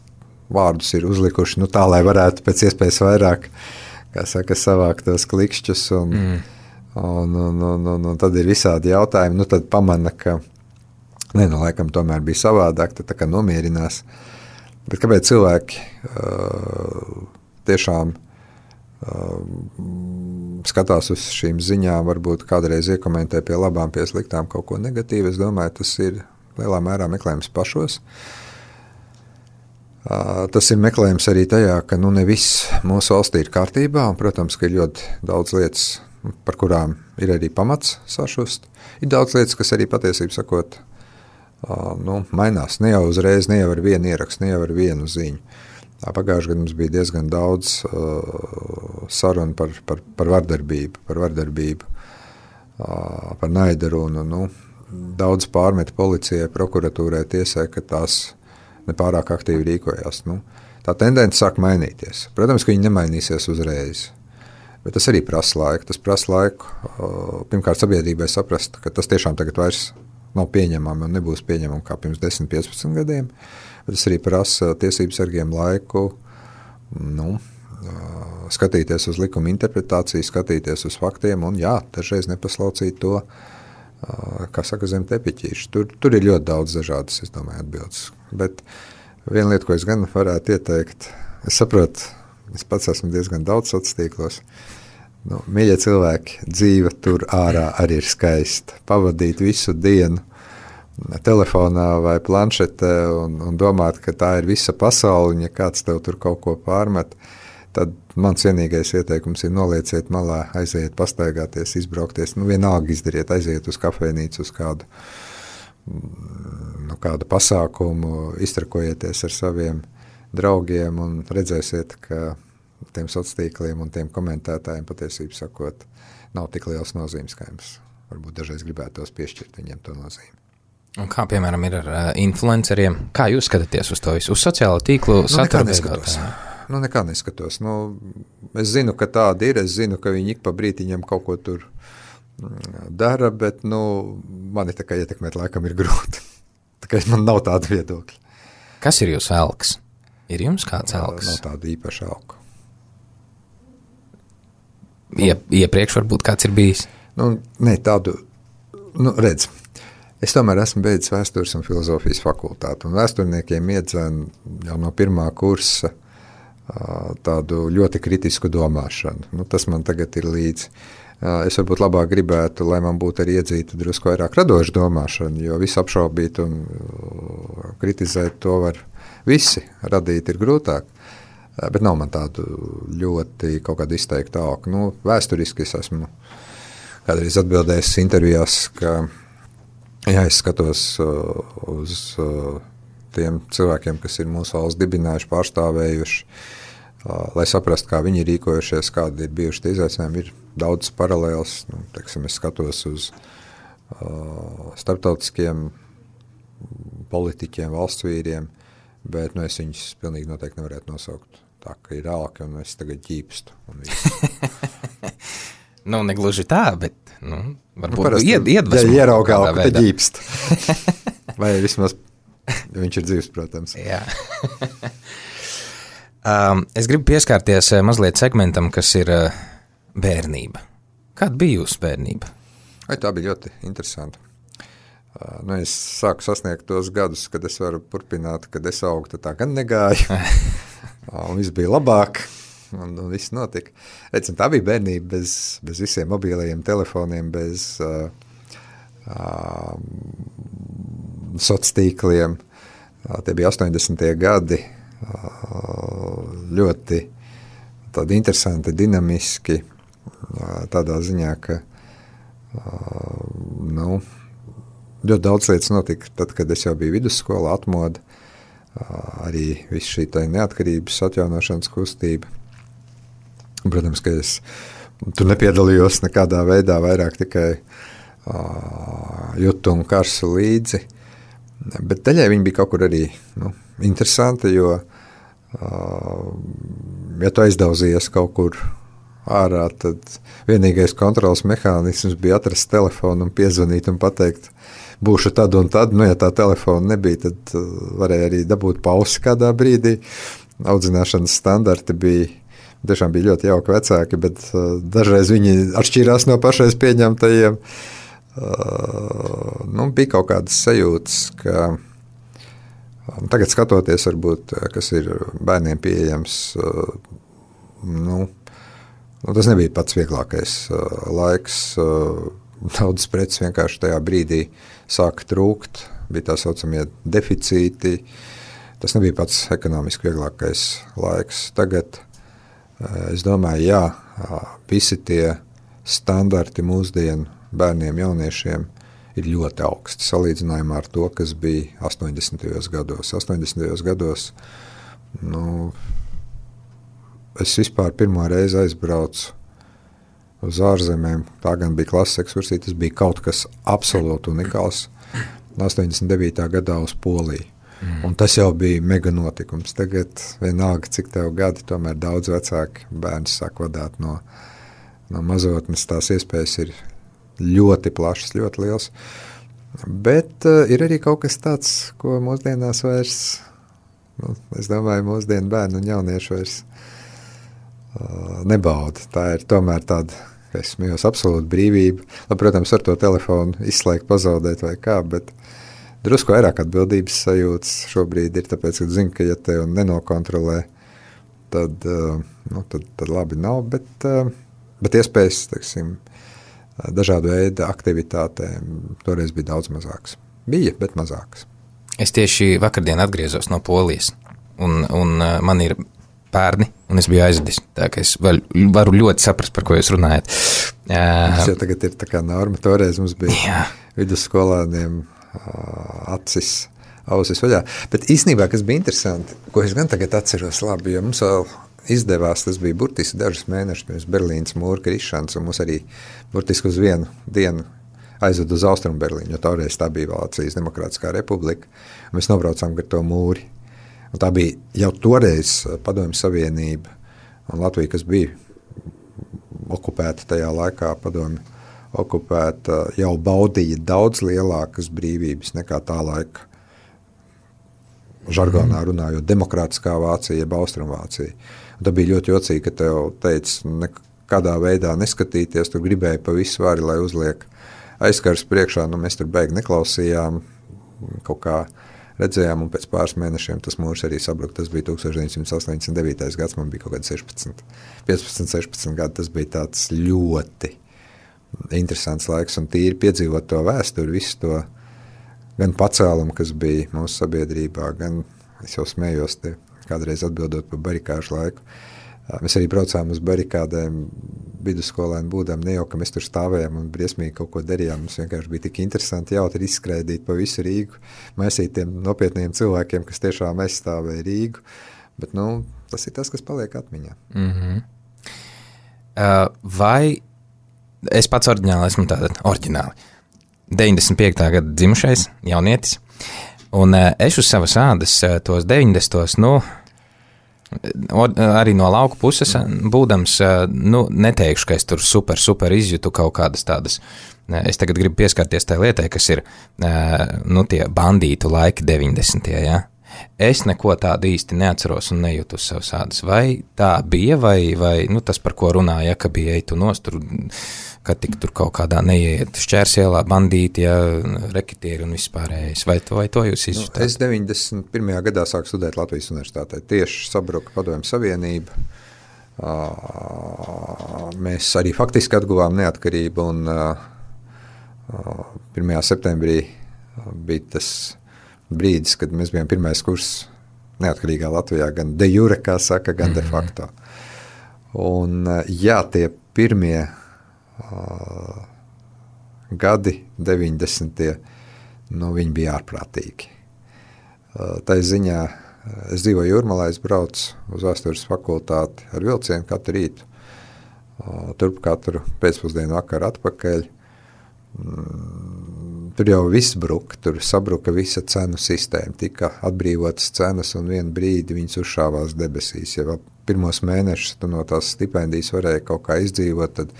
vārdus ir uzlikuši tā, lai varētu pēc iespējas vairāk, kā saka, savākt tos klikšķus, un tad ir visādi jautājumi, tad pamana, ka laikam tomēr bija savādāk, tad tā kā nomierinās. Bet kāpēc cilvēki tiešām skatās uz šīm ziņām, varbūt kādreiz iekomentē pie labām, pie sliktām kaut ko negatīvu, es domāju, tas ir lielā mērā meklējums pašos. Tas ir meklējums arī tajā, ka ne viss mūsu valstī ir kārtībā, un, protams, ka ir ļoti daudz lietas, par kurām ir arī pamats sašust. Ir daudz lietas, kas arī patiesībā sakot, mainās. Ne jau uzreiz, ne jau ar vienu ierakstu, ne jau ar vienu ziņu. Pagājušajā gadā mums bija diezgan daudz sarunu par vardarbību, par naidarunu, daudz pārmet policijai, prokuratūrai, tiesai, ka tās nepārāk aktīvi rīkojās. Tā tendence sāk mainīties. Protams, ka viņi nemainīsies uzreiz, bet tas arī prasa laiku. Tas prasa laiku pirmkārt sabiedrībai saprast, ka tas tiešām tagad vairs nav pieņemami un nebūs pieņemami kā pirms 10-15 gadiem, bet tas arī prasa tiesību sargiem laiku skatīties uz likuma interpretāciju, skatīties uz faktiem un dažreiz nepaslaucīt to, kā saka, zem tepiķīšu. Tur ir ļoti daudz dažādas, es domāju, atbildes. Bet viena lieta, ko es gan varētu ieteikt, es saprotu, es pats esmu diezgan daudz sociālos tīklos. Mīļie cilvēki, dzīve tur ārā arī ir skaista. Pavadīt visu dienu telefonā vai planšetē un domāt, ka tā ir visa pasaule, un ja kāds tev tur kaut ko pārmet, tad mans vienīgais ieteikums ir nolieciet malā, aiziet, pastaigāties, izbraukties, vienalga izdariet, aiziet uz kafejnīcu, uz kādu pasākumu, iztrakojieties ar saviem draugiem un redzēsiet, ka tiem sociāliem tīkliem un tiem komentētājiem patiesībā sakot, nav tik liels nozīmes, kā jums varbūt dažreiz gribētos piešķirt viņiem to nozīmi. Un kā, piemēram, ir ar influenceriem? Kā jūs skatāties uz to visu? Uz sociālo tīklu satura veidotāju? Nekā neskatos. Es zinu, ka tāda ir, es zinu, ka viņi ik pa brītiņam kaut ko tur dara, bet mani tā kā ietekmēt laikam ir grūti. Tā kā man nav tāda viedokļa. Kas ir jūsu elks? Ir jums kāds elks? Nav tāda īpaša elka. Iepriekš varbūt kāds ir bijis? Tādu, redz, es tomēr esmu beidzis vēstures un filozofijas fakultāti, un vēsturniekiem iedzēn jau no pirmā kursa tādu ļoti kritisku domāšanu. Tas man tagad ir līdzi. Es varbūt labāk gribētu, lai man būtu arī iedzīta drusku vairāk radoša domāšana, jo visu apšaubīt un kritizēt to var visi, radīt ir grūtāk. Bet nav man tādu ļoti kaut kādu izteiktu augu. Vēsturiski es esmu kādreiz atbildējis intervijās, ka es skatos uz tiem cilvēkiem, kas ir mūsu valsts dibinājuši, pārstāvējuši, lai saprastu, kā viņi ir rīkojušies, kādi ir bijuši tie izaicinājumi. Ir daudz paralēls. Es skatos uz starptautiskiem politiķiem, valsts vīriem, bet es viņus pilnīgi noteikti nevarētu nosaukt tā, ka ir ālki un es tagad ģīpstu. Negluži tā, bet varbūt iedvesmo. Ja ieraugā ālku, tad ģīpst. Vai vismaz viņš ir dzīvs, protams. Jā. Es gribu pieskārties mazliet segmentam, kas ir bērnība. Kāda bija jūsu bērnība? Tā bija ļoti interesanta. Es sāku sasniegt tos gadus, kad es varu turpināt, kad es augtu, tā gan negāju. Un viss bija labāk, un viss notika. Tā bija bērnība bez visiem mobilajiem telefoniem, bez sociāliem tīkliem. Tie bija 80. gadi, ļoti tādi interesanti, dinamiski, tādā ziņā, ka ļoti daudz lietas notika tad, kad es jau biju vidusskolā, atmoda, arī viss šī neatkarības atjaunošanas kustība. Protams, ka es tur nepiedalījos nekādā veidā, vairāk tikai jutu un karsu līdzi, bet daļai viņi bija kaut kur arī interesanti, jo ja tu aizdauzījies kaut kur ārā, tad vienīgais kontrols mehānisms bija atrast telefonu un piezvanīt un pateikt, būšu tad un tad. Ja tā telefona nebija, tad varēja arī dabūt pausi kādā brīdī. Audzināšanas standarti tiešām bija ļoti jauki vecāki, bet dažreiz viņi atšķīrās no pašreiz pieņemtajiem. Bija kaut kādas sajūtas, ka tagad skatoties, varbūt, kas ir bērniem pieejams, tas nebija pats vieglākais laiks. Daudzas preces vienkārši tajā brīdī sāka trūkt, bija tā saucamie deficīti. Tas nebija pats ekonomiski vieglākais laiks. Tagad, es domāju, visi tie standarti mūsdienu bērniem, jauniešiem ir ļoti augsti salīdzinājumā ar to, kas bija 80. gados. 80. gados es vispār pirmo reizi aizbraucu uz ārzemēm. Tā gan bija klases ekskursija, tas bija kaut kas absolūti unikāls. 89. gadā uz Poliju. Un tas jau bija mega notikums. Tagad vienalga, cik tev gadi, tomēr daudz vecāki bērni sāk vadāt no mazotnes. Tās iespējas ir ļoti plašas, ļoti liels. Bet ir arī kaut kas tāds, ko mūsdienās vairs, es domāju, mūsdienu bērnu un jauniešu vairs nebauda. Tā ir tomēr tāda, es smējos, absolūta brīvība. Protams, ar to telefonu izslēgt, pazaudēt vai kā, bet drusku vairāk atbildības sajūtas šobrīd ir, tāpēc, ka zinu, ka ja tev nenokontrolē, tad labi nav, bet iespējas, teiksim, dažādu veidu aktivitātēm toreiz bija daudz mazāks. Bija, bet mazāks. Es tieši vakardien atgriezos no Polijas, un man ir bērni, un es biju aizvedis. Tā ka es varu ļoti saprast, par ko jūs runājat. Tas jau tagad ir tā kā norma. Toreiz mums bija vidusskolāniem ausis vaļā. Bet īstenībā, kas bija interesanti, ko es gan tagad atceros labi, jo mums vēl izdevās, tas bija burtiski dažus mēnešus pirms Berlīnas mūra krišanas, un mums arī burtiski uz vienu dienu aizved uz Austrumu Berlīnu, jo toreiz tā bija Vācijas Demokrātiskā republika, un mēs nobraucām gar to mūri. Un tā bija jau toreiz Padomju Savienība un Latvija, kas bija okupēta tajā laikā, Padomju okupēta, jau baudīja daudz lielākas brīvības nekā tā laika žargonā runājot demokrātiskā Vācija, jeb Austrumvācija. Un tā bija ļoti jocīgi, ka tev teica, nekādā veidā neskatīties, tu gribēji pa visu vari, lai uzliek aizkars priekšā, mēs tur beigi neklausījām, kaut kā redzējām, un pēc pāris mēnešiem tas mūrs arī sabruka. Tas bija 1989. gads, man bija kaut kādi 15-16 gadi, tas bija tāds ļoti interesants laiks, un tīri piedzīvot to vēsturi, visu to gan pacēlumu, kas bija mūsu sabiedrībā, gan es jau smējos te kādreiz atbildot par barikāžu laiku. Mēs arī braucām uz barikādēm vidusskolēni būdām, ne jau, ka mēs tur stāvējām un briesmīgi kaut ko darījām. Mums vienkārši bija tik interesanti jautri izskraidīt pa visu Rīgu, maisīt tiem nopietniem cilvēkiem, kas tiešām aizstāvēja Rīgu. Bet, tas ir tas, kas paliek atmiņā. Vai es pats oriģināli esmu tātad oriģināli 95. gada dzimušais jaunietis, un es uz savas ādas tos 90. Arī no lauku puses būdams, neteikšu, ka es tur super izjūtu kaut kādas tādas. Es tagad gribu pieskarties tai lietai, kas ir tie bandītu laiki 90. Ja? Es neko tādu īsti neatceros un nejūtu uz savas ādas. Vai tā bija, vai nu, tas, par ko runāja, ka bija eitu nost, ka tik tur kaut kādā neiet šķērsielā bandīti, ja, rekitieri un vispārējais. Vai to jūs izjutāt? Es 91. gadā sāku studēt Latvijas universitātē. Tieši sabruka Padomju Savienība. Mēs arī faktiski atguvām neatkarību un 1. septembrī bija tas brīdis, kad mēs bijām pirmais kurs neatkarīgā Latvijā, gan de jure, kā saka, gan de facto. Un jā, tie pirmie gadi, 90. Viņi bija ārprātīgi. Tā ziņā es dzīvoju Jūrmalā, es braucu uz vēstures fakultāti ar vilcienu katru rītu, turp katru pēcpusdienu vakaru atpakaļ. Tur jau viss bruka, tur sabruka visa cenu sistēma, tika atbrīvotas cenas un vienu brīdi viņas uzšāvās debesīs. Ja vēl pirmos mēnešus tu no tās stipendijas varēja kaut kā izdzīvot, tad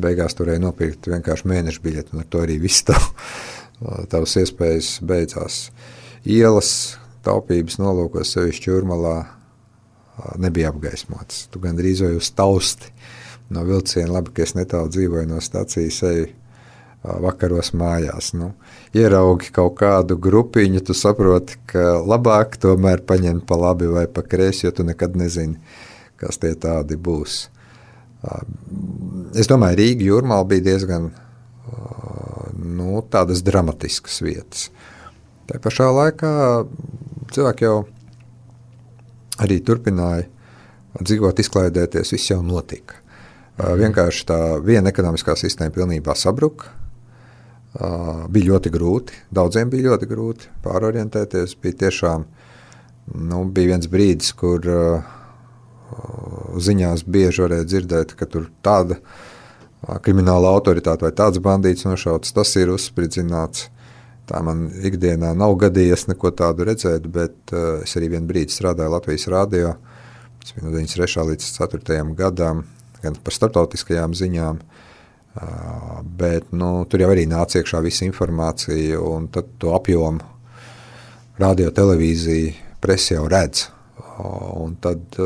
beigās turēja nopirkt vienkārši mēnešu biļeti, un ar to arī viss tavas iespējas beidzās. Ielas taupības nolūkos sevišķi Jūrmalā nebija apgaismotas. Tu gandrīz vai uz tausti no vilciena, labi, ka es netālu dzīvoju no stacijas, eju vakaros mājās. Ieraugi kaut kādu grupiņu, tu saproti, ka labāk tomēr paņemt pa labi vai pa kreisi, jo tu nekad nezini, kas tie tādi būs. Es domāju, Rīga, Jūrmala bija diezgan tādas dramatiskas vietas. Tā pašā laikā cilvēki jau arī turpināja dzīvot, izklaidēties, viss jau notika. Vienkārši tā viena ekonomiskā sistēma pilnībā sabruka. Bija ļoti grūti, daudziem bija ļoti grūti pārorientēties. Bija tiešām, bija viens brīdis, kur ziņās bieži varēja dzirdēt, ka tur tāda krimināla autoritāte vai tāds bandīts nošauts, tas ir uzspridzināts. Tā man ikdienā nav gadījies neko tādu redzēt, bet es arī vienu brīdi strādāju Latvijas radio, tas bija no 93. līdz 4. gadam, gan par starptautiskajām ziņām, bet tur jau arī nāca iekšā visa informācija, un tad to apjomu radio, televīzija, presi jau redz. Un tad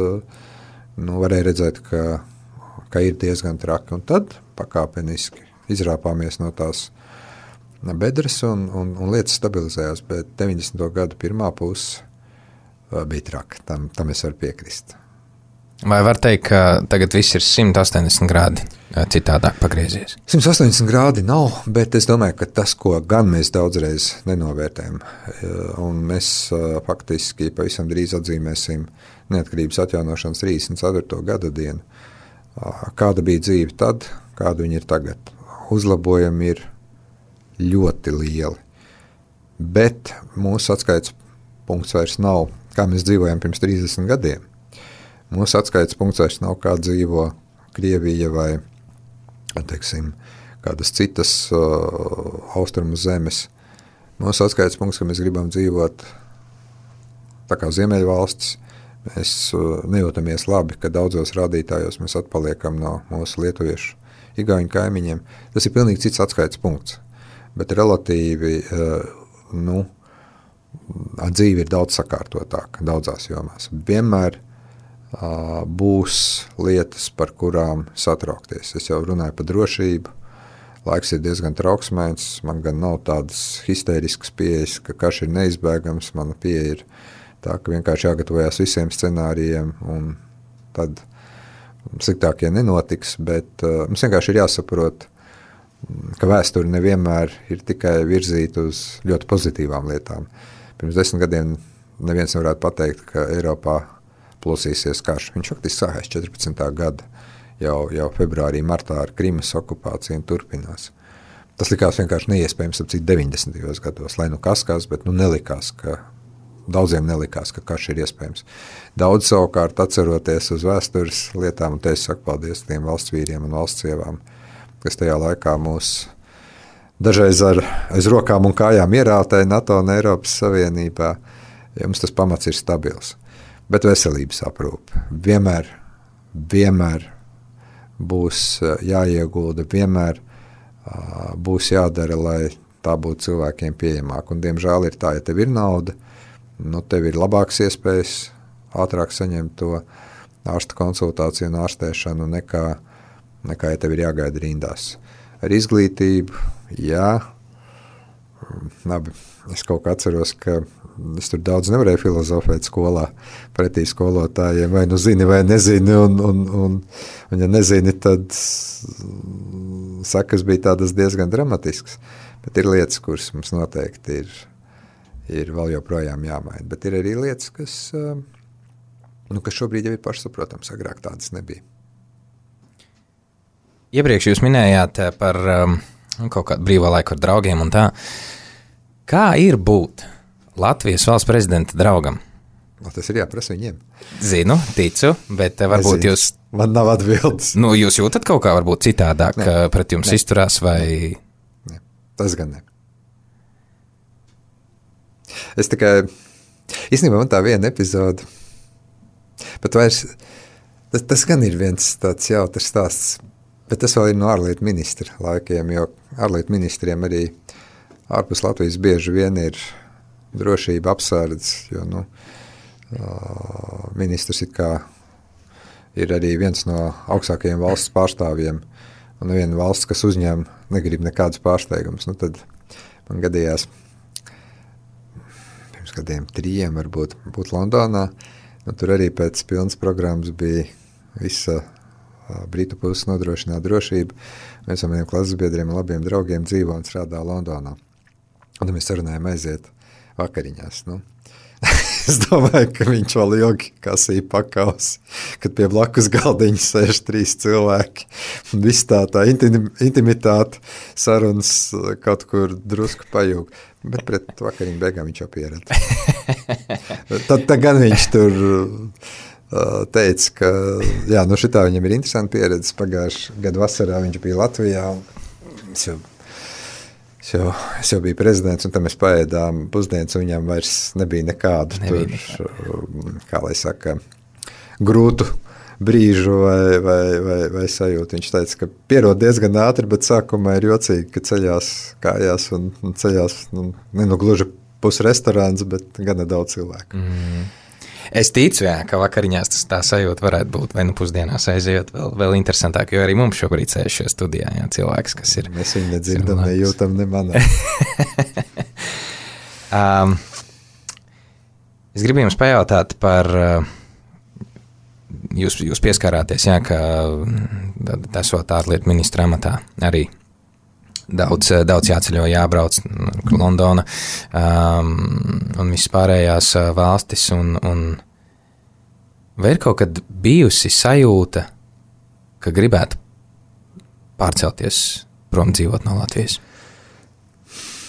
varēja redzēt, ka ir diezgan traki, un tad pakāpeniski izrāpāmies no tās bedres un lietas stabilizējās, bet 90. gadu pirmā puse bija traki, tam es varu piekrist. Vai var teikt, ka tagad viss ir 180 grādi citādāk pagriezies? 180 grādi nav, bet es domāju, ka tas, ko gan mēs daudzreiz nenovērtējam, un mēs faktiski pavisam drīz atzīmēsim neatkarības atjaunošanas 34. gada dienu. Kāda bija dzīve tad, kāda viņa ir tagad? Uzlabojumi ir ļoti lieli, bet mūsu atskaites punkts vairs nav, kā mēs dzīvojam pirms 30 gadiem. Mūsu atskaites punkts vairs nav, kā dzīvo Krievija vai, teiksim, kādas citas austrumu zemes. Mūsu atskaites punkts, ka mēs gribam dzīvot tā kā Ziemeļvalstis. Mēs nejūtamies labi, ka daudzos rādītājos mēs atpaliekam no mūsu lietuviešu igauņu kaimiņiem. Tas ir pilnīgi cits atskaites punkts, bet relatīvi, dzīve ir daudz sakārtotāka daudzās jomās. Vienmēr būs lietas, par kurām satraukties. Es jau runāju par drošību. Laiks ir diezgan trauksmēns. Man gan nav tādas histēriskas pieejas, ka karš ir neizbēgams. Mana pieeja ir tā, ka vienkārši jāgatavojās visiem scenārijiem, un tad sliktākie nenotiks, bet mums vienkārši ir jāsaprot, ka vēsture nevienmēr ir tikai virzīta uz ļoti pozitīvām lietām. Pirms 10 gadiem neviens nevarētu pateikt, ka Eiropā plosīsies karš. Viņš faktiski sākās 14. gada, jau februārī, martā ar Krimas okupāciju un turpinās. Tas likās vienkārši neiespējams ap cik 90. gados, lai kas, bet nelikās, daudziem nelikās, ka karš ir iespējams. Daudz savukārt atceroties uz vēstures lietām, un te es saku paldies tiem valsts vīriem un valsts sievām, kas tajā laikā mūs dažreiz aiz rokām un kājām ierātēja NATO un Eiropas Savienībā, ja mums tas pamats ir stabils. Bet veselības aprūpe vienmēr būs jāiegulda, vienmēr būs jādara, lai tā būtu cilvēkiem pieejamāk. Un, diemžēl, ir tā, ja tev ir nauda, tev ir labākas iespējas ātrāk saņemt to ārsta konsultāciju un ārstēšanu nekā ja tev ir jāgaida rindās. Ar izglītību, jā, labi, es kaut kā atceros, ka es tur daudz nevarēju filozofēt skolā pretī skolotājiem, vai nu zini, vai nezini, un ja nezini, tad sakas bija tādas diezgan dramatiskas, bet ir lietas, kuras mums noteikti ir vēl joprojām jāmaina, bet ir arī lietas, kas šobrīd jau ir pašsaprotams, agrāk tādas nebija. Iepriekš jūs minējāt par kaut kādu brīvā laiku ar draugiem un tā. Kā ir būt Latvijas valsts prezidenta draugam? Tas ir jāprasa viņiem. Zinu, ticu, bet varbūt jūs... Man nav atbildes. Jūs jūtat kaut kā varbūt citādāk pret jums izturās vai... Ne, tas gan ne. Es tikai... Īstenībā man tā viena epizode... Bet vairs... Tas gan ir viens tāds jautrs stāsts... Bet tas vēl ir no ārlietu ministra laikiem, jo ārlietu ministriem arī ārpus Latvijas bieži vien ir drošība apsardz, jo ministrs it kā ir arī viens no augstākajiem valsts pārstāvjiem, un neviena valsts, kas uzņem, negrib nekādus pārsteigumus. Tad man gadījās pirms gadiem 3 varbūt būt Londonā, tur arī pēc pilnas programmas bija visa Britu puses nodrošināt drošību. Mēs ar maniem klases biedriem un labiem draugiem dzīvo un strādā Londonā. Un mēs sarunājam aiziet vakariņās. Es domāju, ka viņš vēl ilgi kasīja pakaus, kad pie blakus galdiņa sēž 3 cilvēki. Un viss tā intimitāte, sarunas kaut kur drusku pajūg. Bet pret vakariņu beigām viņš jau pieredz. Tad gan viņš tur... teica, ka jā, šitā viņam ir interesanti pieredze. Pagājušā gada vasarā viņš bija Latvijā. Es jau biju prezidents, un tam mēs paēdām pusdienas, un viņam vairs nebija nekādu kā lai saka, grūtu brīžu vai sajūtu. Viņš teica, ka pierod diezgan ātri, bet sākumā ir jocīgi, ka ceļās kājās un ceļās, gluži pusrestorāns, bet gana daudz cilvēku. Es ticu, ka vakariņās tā sajūta varētu būt, vai pusdienās aizejot vēl interesantāk, jo arī mums šobrīd sēž šajā studijā cilvēks, kas ir... Mēs viņu nedzirdam, nejūtam, nemanām. Es gribu jums pajautāt par... Jūs pieskārāties, ka esot ārlietu ministra amatā arī. Daudz jāceļo, jābrauc, Londona un viss pārējās valstis. Un vai ir kaut kad bijusi sajūta, ka gribētu pārcelties prom dzīvot no Latvijas?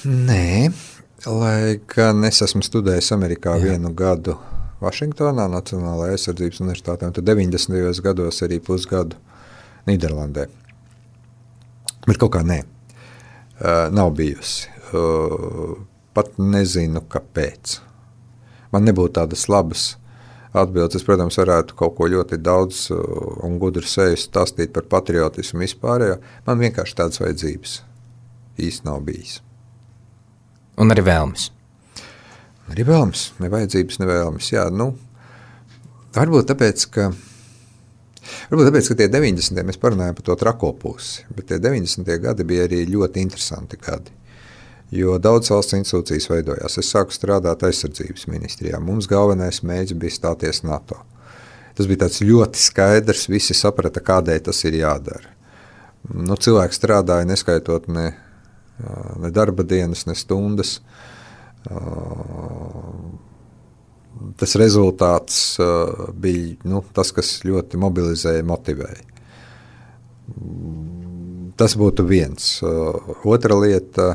Nē, lai gan es esmu studējis Amerikā 1 gadu Vašingtonā, Nacionālajā aizsardzības universitātē, un tad 90. gados arī pusgadu Nīderlandē. Bet kaut kā nē. Nav bijusi. Pat nezinu, kāpēc. Man nebūtu tādas labas atbildes. Es, protams, varētu kaut ko ļoti daudz un gudru seju stāstīt par patriotismu vispārējo. Man vienkārši tādas vajadzības īsti nav bijis. Un arī vēlmes? Arī vēlmes. Ne vajadzības, ne vēlmes. Jā, varbūt tāpēc, ka tie 90. mēs parunājam par to trako pusi, bet tie 90. gadi bija arī ļoti interesanti gadi, jo daudz valsts institūcijas veidojās. Es sāku strādāt aizsardzības ministrijā. Mums galvenais mērķis bija stāties NATO. Tas bija tāds ļoti skaidrs, visi saprata, kādēļ tas ir jādara. Cilvēki strādāja neskaitot ne darba dienas, ne stundas. Tas rezultāts bija tas, kas ļoti mobilizēja, motivēja. Tas būtu viens. Otra lieta,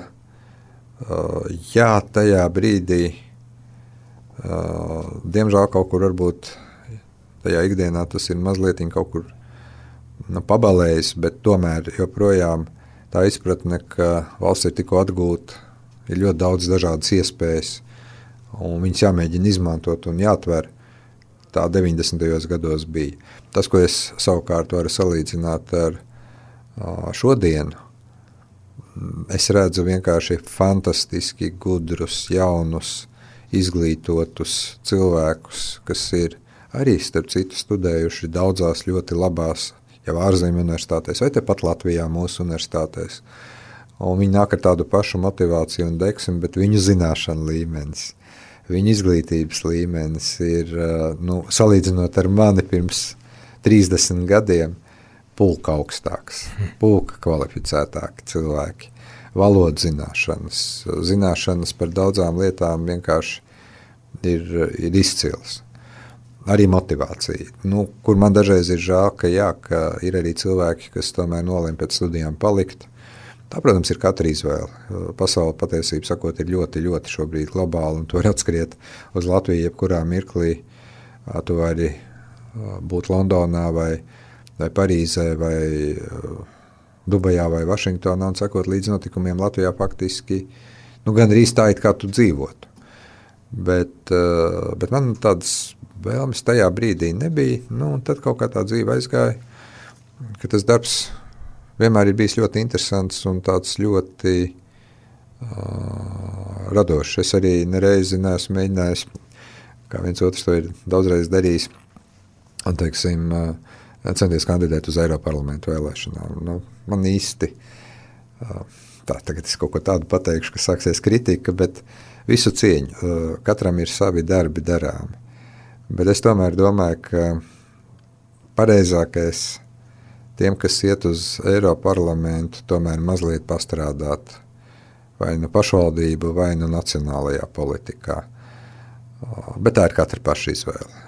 tajā brīdī, diemžēl kaut kur varbūt tajā ikdienā tas ir mazliet kaut kur pabalējis, bet tomēr joprojām tā izpratne, ka valsts ir tikko atgūta, ir ļoti daudz dažādas iespējas, un viņas jāmēģina izmantot un jāatver. Tā 90. gados bija. Tas, ko es savukārt varu salīdzināt ar šodienu, es redzu vienkārši fantastiski gudrus, jaunus, izglītotus cilvēkus, kas ir arī, starp citu, studējuši daudzās ļoti labās, jau ārzemju universitātēs, vai tepat Latvijā mūsu universitātēs. Un viņi nāk ar tādu pašu motivāciju un deksmi, bet viņu zināšanu līmenis, viņu izglītības līmenis ir, salīdzinot ar mani pirms 30 gadiem, pulka augstāks, pulka kvalificētāki cilvēki, valodu zināšanas par daudzām lietām vienkārši ir izcils. Arī motivācija, kur man dažreiz ir žēl, ka ir arī cilvēki, kas tomēr nolem pēc studijām palikt. Tā, protams, ir katra izvēle. Pasaule patiesību sakot ir ļoti, ļoti šobrīd globāla, un tu vari atskriet uz Latviju jebkurā mirklī. Tu vari būt Londonā vai Parīzē vai Dubajā vai Vašingtonā un sakot līdz notikumiem Latvijā faktiski gandrīz tā, it kā tu dzīvotu. Bet man tādas vēlmes tajā brīdī nebija, un tad kaut kā tā dzīve aizgāja, ka tas darbs vienmēr ir bijis ļoti interesants un tāds ļoti radošs. Es arī nereizi neesmu mēģinājis, kā viens otrs to ir daudzreiz darījis, un, teiksim, centies kandidēt uz Eiroparlamentu vēlēšanām. Man īsti, tagad es kaut ko tādu pateikšu, ka sāksies kritika, bet visu cieņu, katram ir savi darbi darāmi. Bet es tomēr domāju, ka pareizākais tiem, kas iet uz Eiroparlamentu, tomēr mazliet pastrādāt vai pašvaldību, vai nacionālajā politikā. Bet tā ir katra paša izvēle.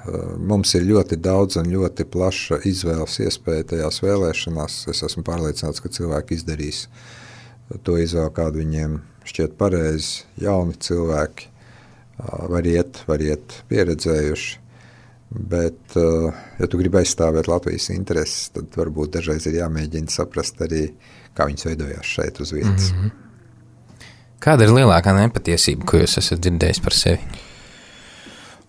Mums ir ļoti daudz un ļoti plaša izvēles iespēja tajās vēlēšanās. Es esmu pārliecināts, ka cilvēki izdarīs to izvēli, kādu viņiem šķiet pareizi. Jauni cilvēki var iet pieredzējuši. Bet, ja tu gribi aizstāvēt Latvijas intereses, tad varbūt dažreiz ir jāmēģina saprast arī, kā viņas veidojās šeit uz vietas. Kāda ir lielākā nepatiesība, ko jūs esat dzirdējis par sevi?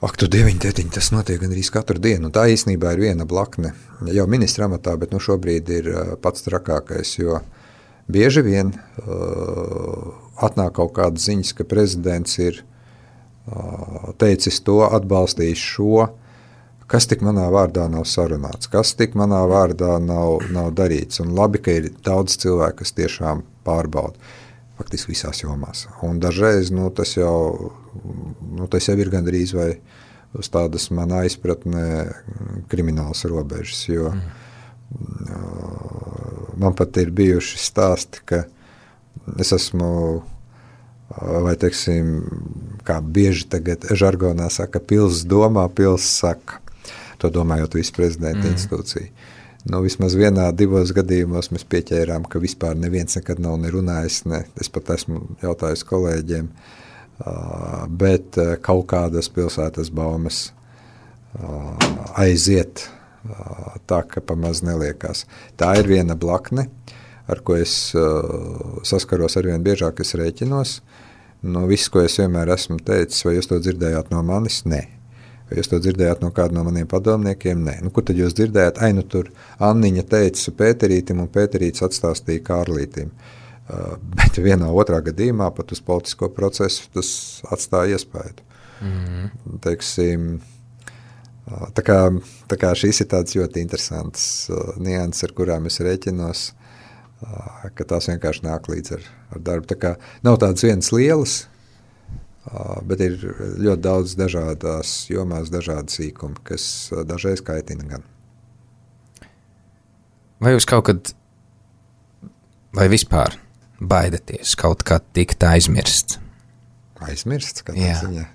Ak, tu dieviņ, tētiņ, tas notiek gandrīz katru dienu. Tā īstenībā ir viena blakne. Jau ministra amatā, bet šobrīd ir pats trakākais, jo bieži vien atnāk kaut kādas ziņas, ka prezidents ir teicis to, atbalstījis šo, kas tik manā vārdā nav sarunāts, kas tik manā vārdā nav darīts. Un labi, ka ir daudz cilvēku, kas tiešām pārbauda. Faktiski visās jomās. Un dažreiz tas jau ir gandrīz vai uz tādas manā izpratnē kriminālas robežas, jo man pat ir bijuši stāsti, ka es esmu, vai teiksim, kā bieži tagad žargonā saka, pils domā, pils saka. To domājot visu prezidenta institūciju. Vismaz vienā, divos gadījumos mēs pieķērām, ka vispār neviens nekad nav nerunājis, es pat esmu jautājis kolēģiem, bet kaut kādas pilsētas baumas aiziet tā, ka pamaz neliekās. Tā ir viena blakne, ar ko es saskaros arvien biežāk, es rēķinos. Viss, ko es vienmēr esmu teicis, vai jūs to dzirdējāt no manis? Nē. Vai jūs to dzirdējāt no kāda no maniem padomniekiem? Nē. Kur tad jūs dzirdējāt? Tur Anniņa teica Pēterītim, un Pēterītis atstāstīja Kārlītim. Bet vienā otrā gadījumā pat uz politisko procesu tas atstāja iespēju. Teiksim, tā kā šīs ir tāds ļoti interesants nianses, ar kurām es rēķinos, ka tās vienkārši nāk līdz ar darbu. Tā kā nav tādas vienas lielas, bet ir ļoti daudz dažādās jomās, dažādi sīkumi, kas dažreiz kaitina gan. Vai jūs kaut kad, vai vispār baidaties kaut kā tikt aizmirsts? Aizmirsts? Kādā ziņā?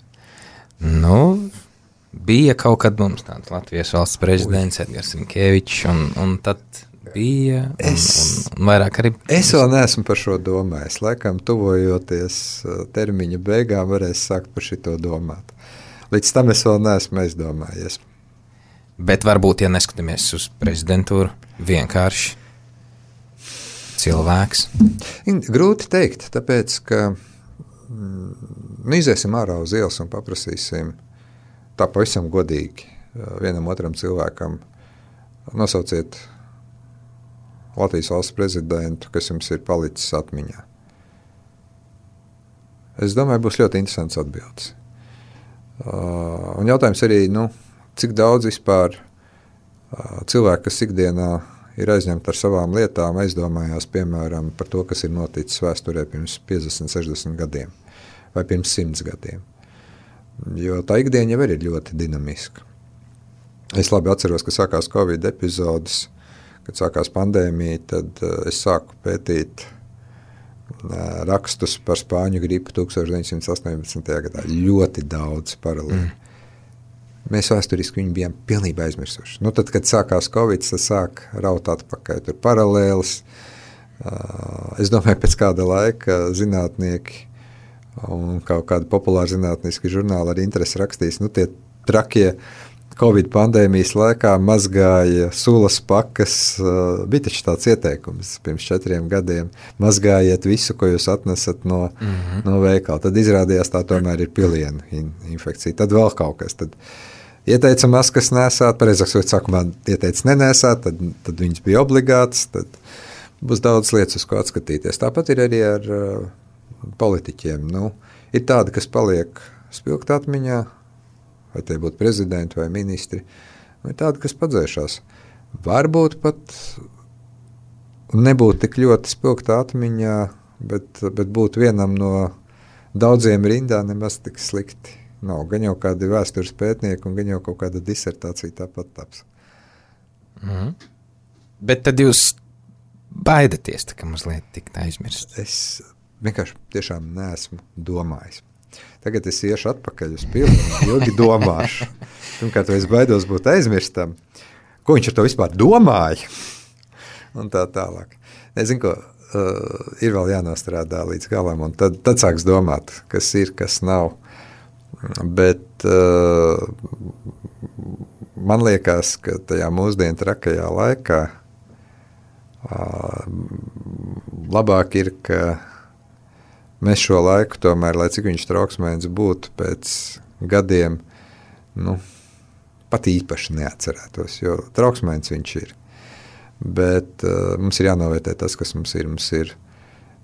Bija kaut kad mums tāds Latvijas valsts prezidents Edgars Rinkēvičs, un tad bija, un vairāk arī... Es vēl neesmu par šo domājis. Laikam, tuvojoties termiņa beigām, varēs sākt par šito domāt. Līdz tam es vēl neesmu aizdomājies. Bet varbūt, ja neskatāmies uz prezidentūru, vienkārši cilvēks? Grūti teikt, tāpēc, ka iziesim ārā uz ielas un paprasīsim tā pavisam godīgi vienam otram cilvēkam. Nosauciet Latvijas valsts prezidentu, kas jums ir palicis atmiņā. Es domāju, būs ļoti interesants atbildes. Un jautājums arī, cik daudz vispār cilvēki, kas ikdienā ir aizņemti ar savām lietām, aizdomājās, piemēram, par to, kas ir noticis vēsturē pirms 50, 60 gadiem vai pirms 100 gadiem. Jo tā ikdiena jau ir ļoti dinamiska. Es labi atceros, ka sākās Covid epizodes, kad sākās pandēmija, tad es sāku pētīt rakstus par spāņu gripu 1918. gadā. Ļoti daudz paralēli. Mēs vēsturiski viņu bijām pilnībā aizmirsuši. Tad, kad sākās Covid, tad sāk raut atpakaļ. Tur paralēlis. Es domāju, pēc kāda laika zinātnieki un kaut kādi populāri zinātniski žurnāli ar interesi rakstīs, tie trakie Covid pandēmijas laikā mazgāja sulas pakas, bija taču tāds ieteikums pirms 4 gadiem, mazgājiet visu, ko jūs atnesat no veikala. Tad izrādījās tā tomēr ir pilienu infekcija. Tad vēl kaut kas. Tad ieteica maskas nesāt, pareizāk sakot, sākumā ieteica nenēsāt, tad viņas bija obligātas, tad būs daudz lietas, uz ko atskatīties. Tāpat ir arī ar politiķiem. Ir tādi, kas paliek spilgt atmiņā, vai tie būtu prezidenti vai ministri, vai tādi, kas padzēšās. Varbūt pat nebūtu tik ļoti spilgta atmiņā, bet būtu vienam no daudziem rindā nemaz tik slikti. Nav gan jau kādi vēstures pētnieki, un gan jau kaut kāda disertācija tāpat taps. Bet tad jūs baidaties, ka mazliet tikt aizmirst? Es vienkārši tiešām neesmu domājis. Tagad es iešu atpakaļ uz pilnu, ilgi domāšu. Pirmkārt, es baidos būt aizmirstam. Ko viņš ar to vispār domāja? Un tā tālāk. Nezinu, ko ir vēl jānostrādā līdz galam, un tad sāks domāt, kas ir, kas nav. Bet man liekas, ka tajā mūsdienu trakajā laikā labāk ir, ka mēs šo laiku tomēr, lai cik viņš trauksmēns būtu, pēc gadiem pat īpaši neatcerētos, jo trauksmēns viņš ir. Bet mums ir jānovērtē tas, kas mums ir. Mums ir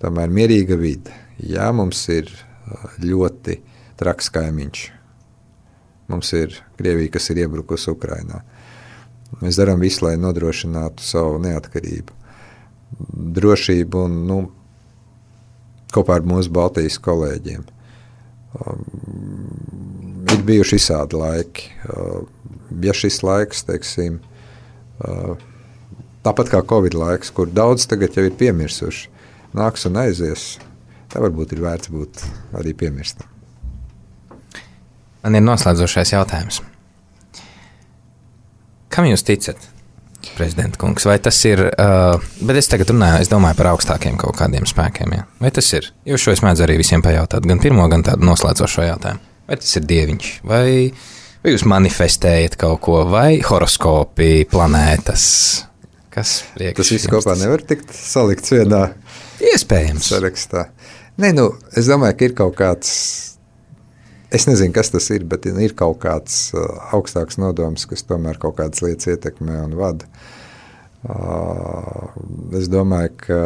tomēr mierīga vide. Jā, mums ir ļoti traks kaimiņš. Mums ir Krievija, kas ir iebrukusi Ukrainā. Mēs darām visu, lai nodrošinātu savu neatkarību, drošību un kopā ar mūsu Baltijas kolēģiem. Ir bijuši visādi laiki. Ja šis laiks, teiksim, tāpat kā Covid laiks, kur daudz tagad jau ir piemirsuši, nāks un aizies, tā varbūt ir vērts būt arī piemirstam. Man ir noslēdzošais jautājums. Kam jūs ticat, prezidenta kungs? Vai tas ir, bet es tagad runāju, es domāju par augstākiem kaut kādiem spēkiem, ja? Vai tas ir? Jo šo es mēdzu arī visiem pajautāt, gan pirmo, gan tādu noslēdzošo jautājumu. Vai tas ir dieviņš? Vai jūs manifestējat kaut ko? Vai horoskopi, planētas? Kas priekš? Tas viss kopā nevar tikt salikts vienā iespējams sarakstā. Nē, es domāju, ka ir kaut kāds, es nezinu, kas tas ir, bet ir kaut kāds augstāks nodoms, kas tomēr kaut kādas lietas ietekmē un vada. Es domāju, ka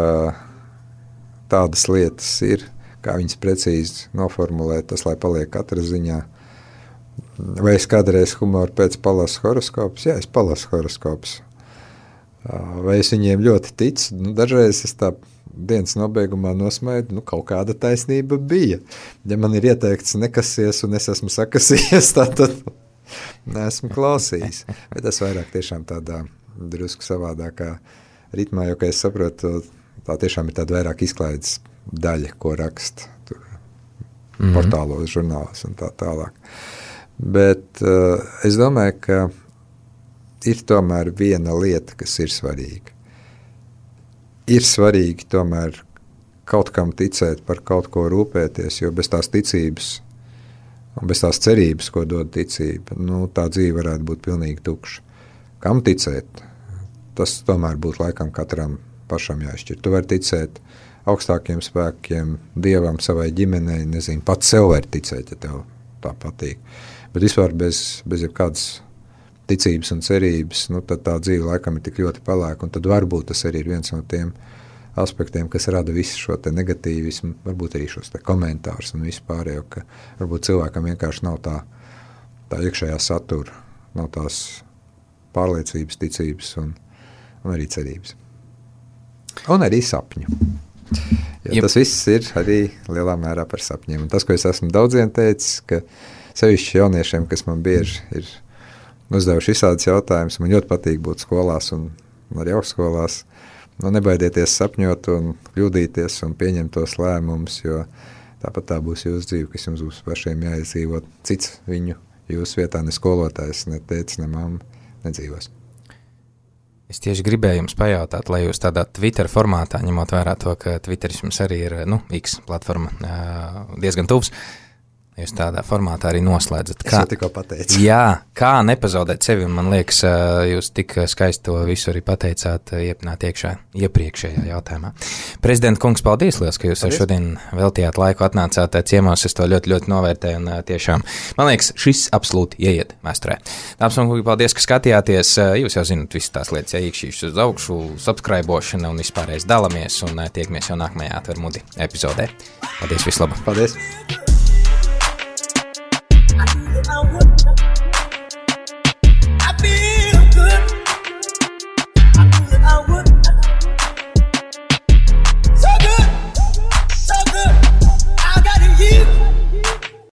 tādas lietas ir, kā viņas precīzi noformulēt, tas, lai paliek katra ziņā. Vai es kādreiz humoru pēc palasu horoskopus? Jā, es palasu horoskopus. Vai es viņiem ļoti ticu? Dažreiz es tā dienas nobeigumā nosmaidu, kaut kāda taisnība bija. Ja man ir ieteikts nekasies un es esmu sakasies, tad neesmu klausījis. Bet tas vairāk tiešām tādā drusku savādākā ritmā, jo, kā es saprotu, tā tiešām ir tāda vairāk izklaides daļa, ko raksta tur portālos, žurnālos un tā tālāk. Bet es domāju, ka ir tomēr viena lieta, kas ir svarīga. Ir svarīgi tomēr kaut kam ticēt, par kaut ko rūpēties, jo bez tās ticības un bez tās cerības, ko dod ticība, tā dzīve varētu būt pilnīgi tukša. Kam ticēt? Tas tomēr būtu laikam katram pašam jāizšķir. Tu vari ticēt augstākiem spēkiem, Dievam, savai ģimenei, nezinu, pats sev var ticēt, ja tev tā patīk. Bet vispār bez jebkādas ticības un cerības, tad tā dzīve laikam ir tik ļoti pelēka, un tad varbūt tas arī ir viens no tiem aspektiem, kas rada visu šo te negatīvismu, varbūt arī šos te komentārus un visu pārējo, ka varbūt cilvēkam vienkārši nav tā tā iekšējā satura, nav tās pārliecības, ticības un arī cerības. Un arī sapņu. Jo tas viss ir arī lielā mērā par sapņiem. Un tas, ko es esmu daudziem teicis, ka sevišķi jauniešiem, kas man bieži ir uzdevuši visādas jautājumus, man ļoti patīk būt skolās un arī augstskolās. Nebaidieties sapņot un kļūdīties un pieņemt tos lēmumus, jo tāpat tā būs jūsu dzīve, kas jums būs pašiem jāizdzīvot. Cits viņu jūsu vietā, ne skolotājs, ne tētis, ne mamma nedzīvos. Es tieši gribēju jums pajautāt, lai jūs tādā Twitter formātā, ņemot vērā to, ka Twitteris jums arī ir, X platforma diezgan tuvs, jūs tādā formātā arī noslēdzat. Es jau tikko pateicu. Jā, kā nepazaudēt sevi, un man liekas, jūs tik skaisti to visu arī pateicāt iepriekšējā jautājumā. Prezidenta kungs, paldies liels, ka jūs šodien veltījāt laiku, atnācāt ciemos, es to ļoti, ļoti novērtēju, un tiešām, man liekas, šis absolūti ieiet vēsturē. Dāmas un kungi, paldies, ka skatījāties, jūs jau zinat visas tās lietas, iekšīšas uz augšu, subscribošana un vispārējais dalamies, un tiekamies jau nākamajā Atver Muti epizodē. Paldies, vislabāk! Paldies! I feel good. I would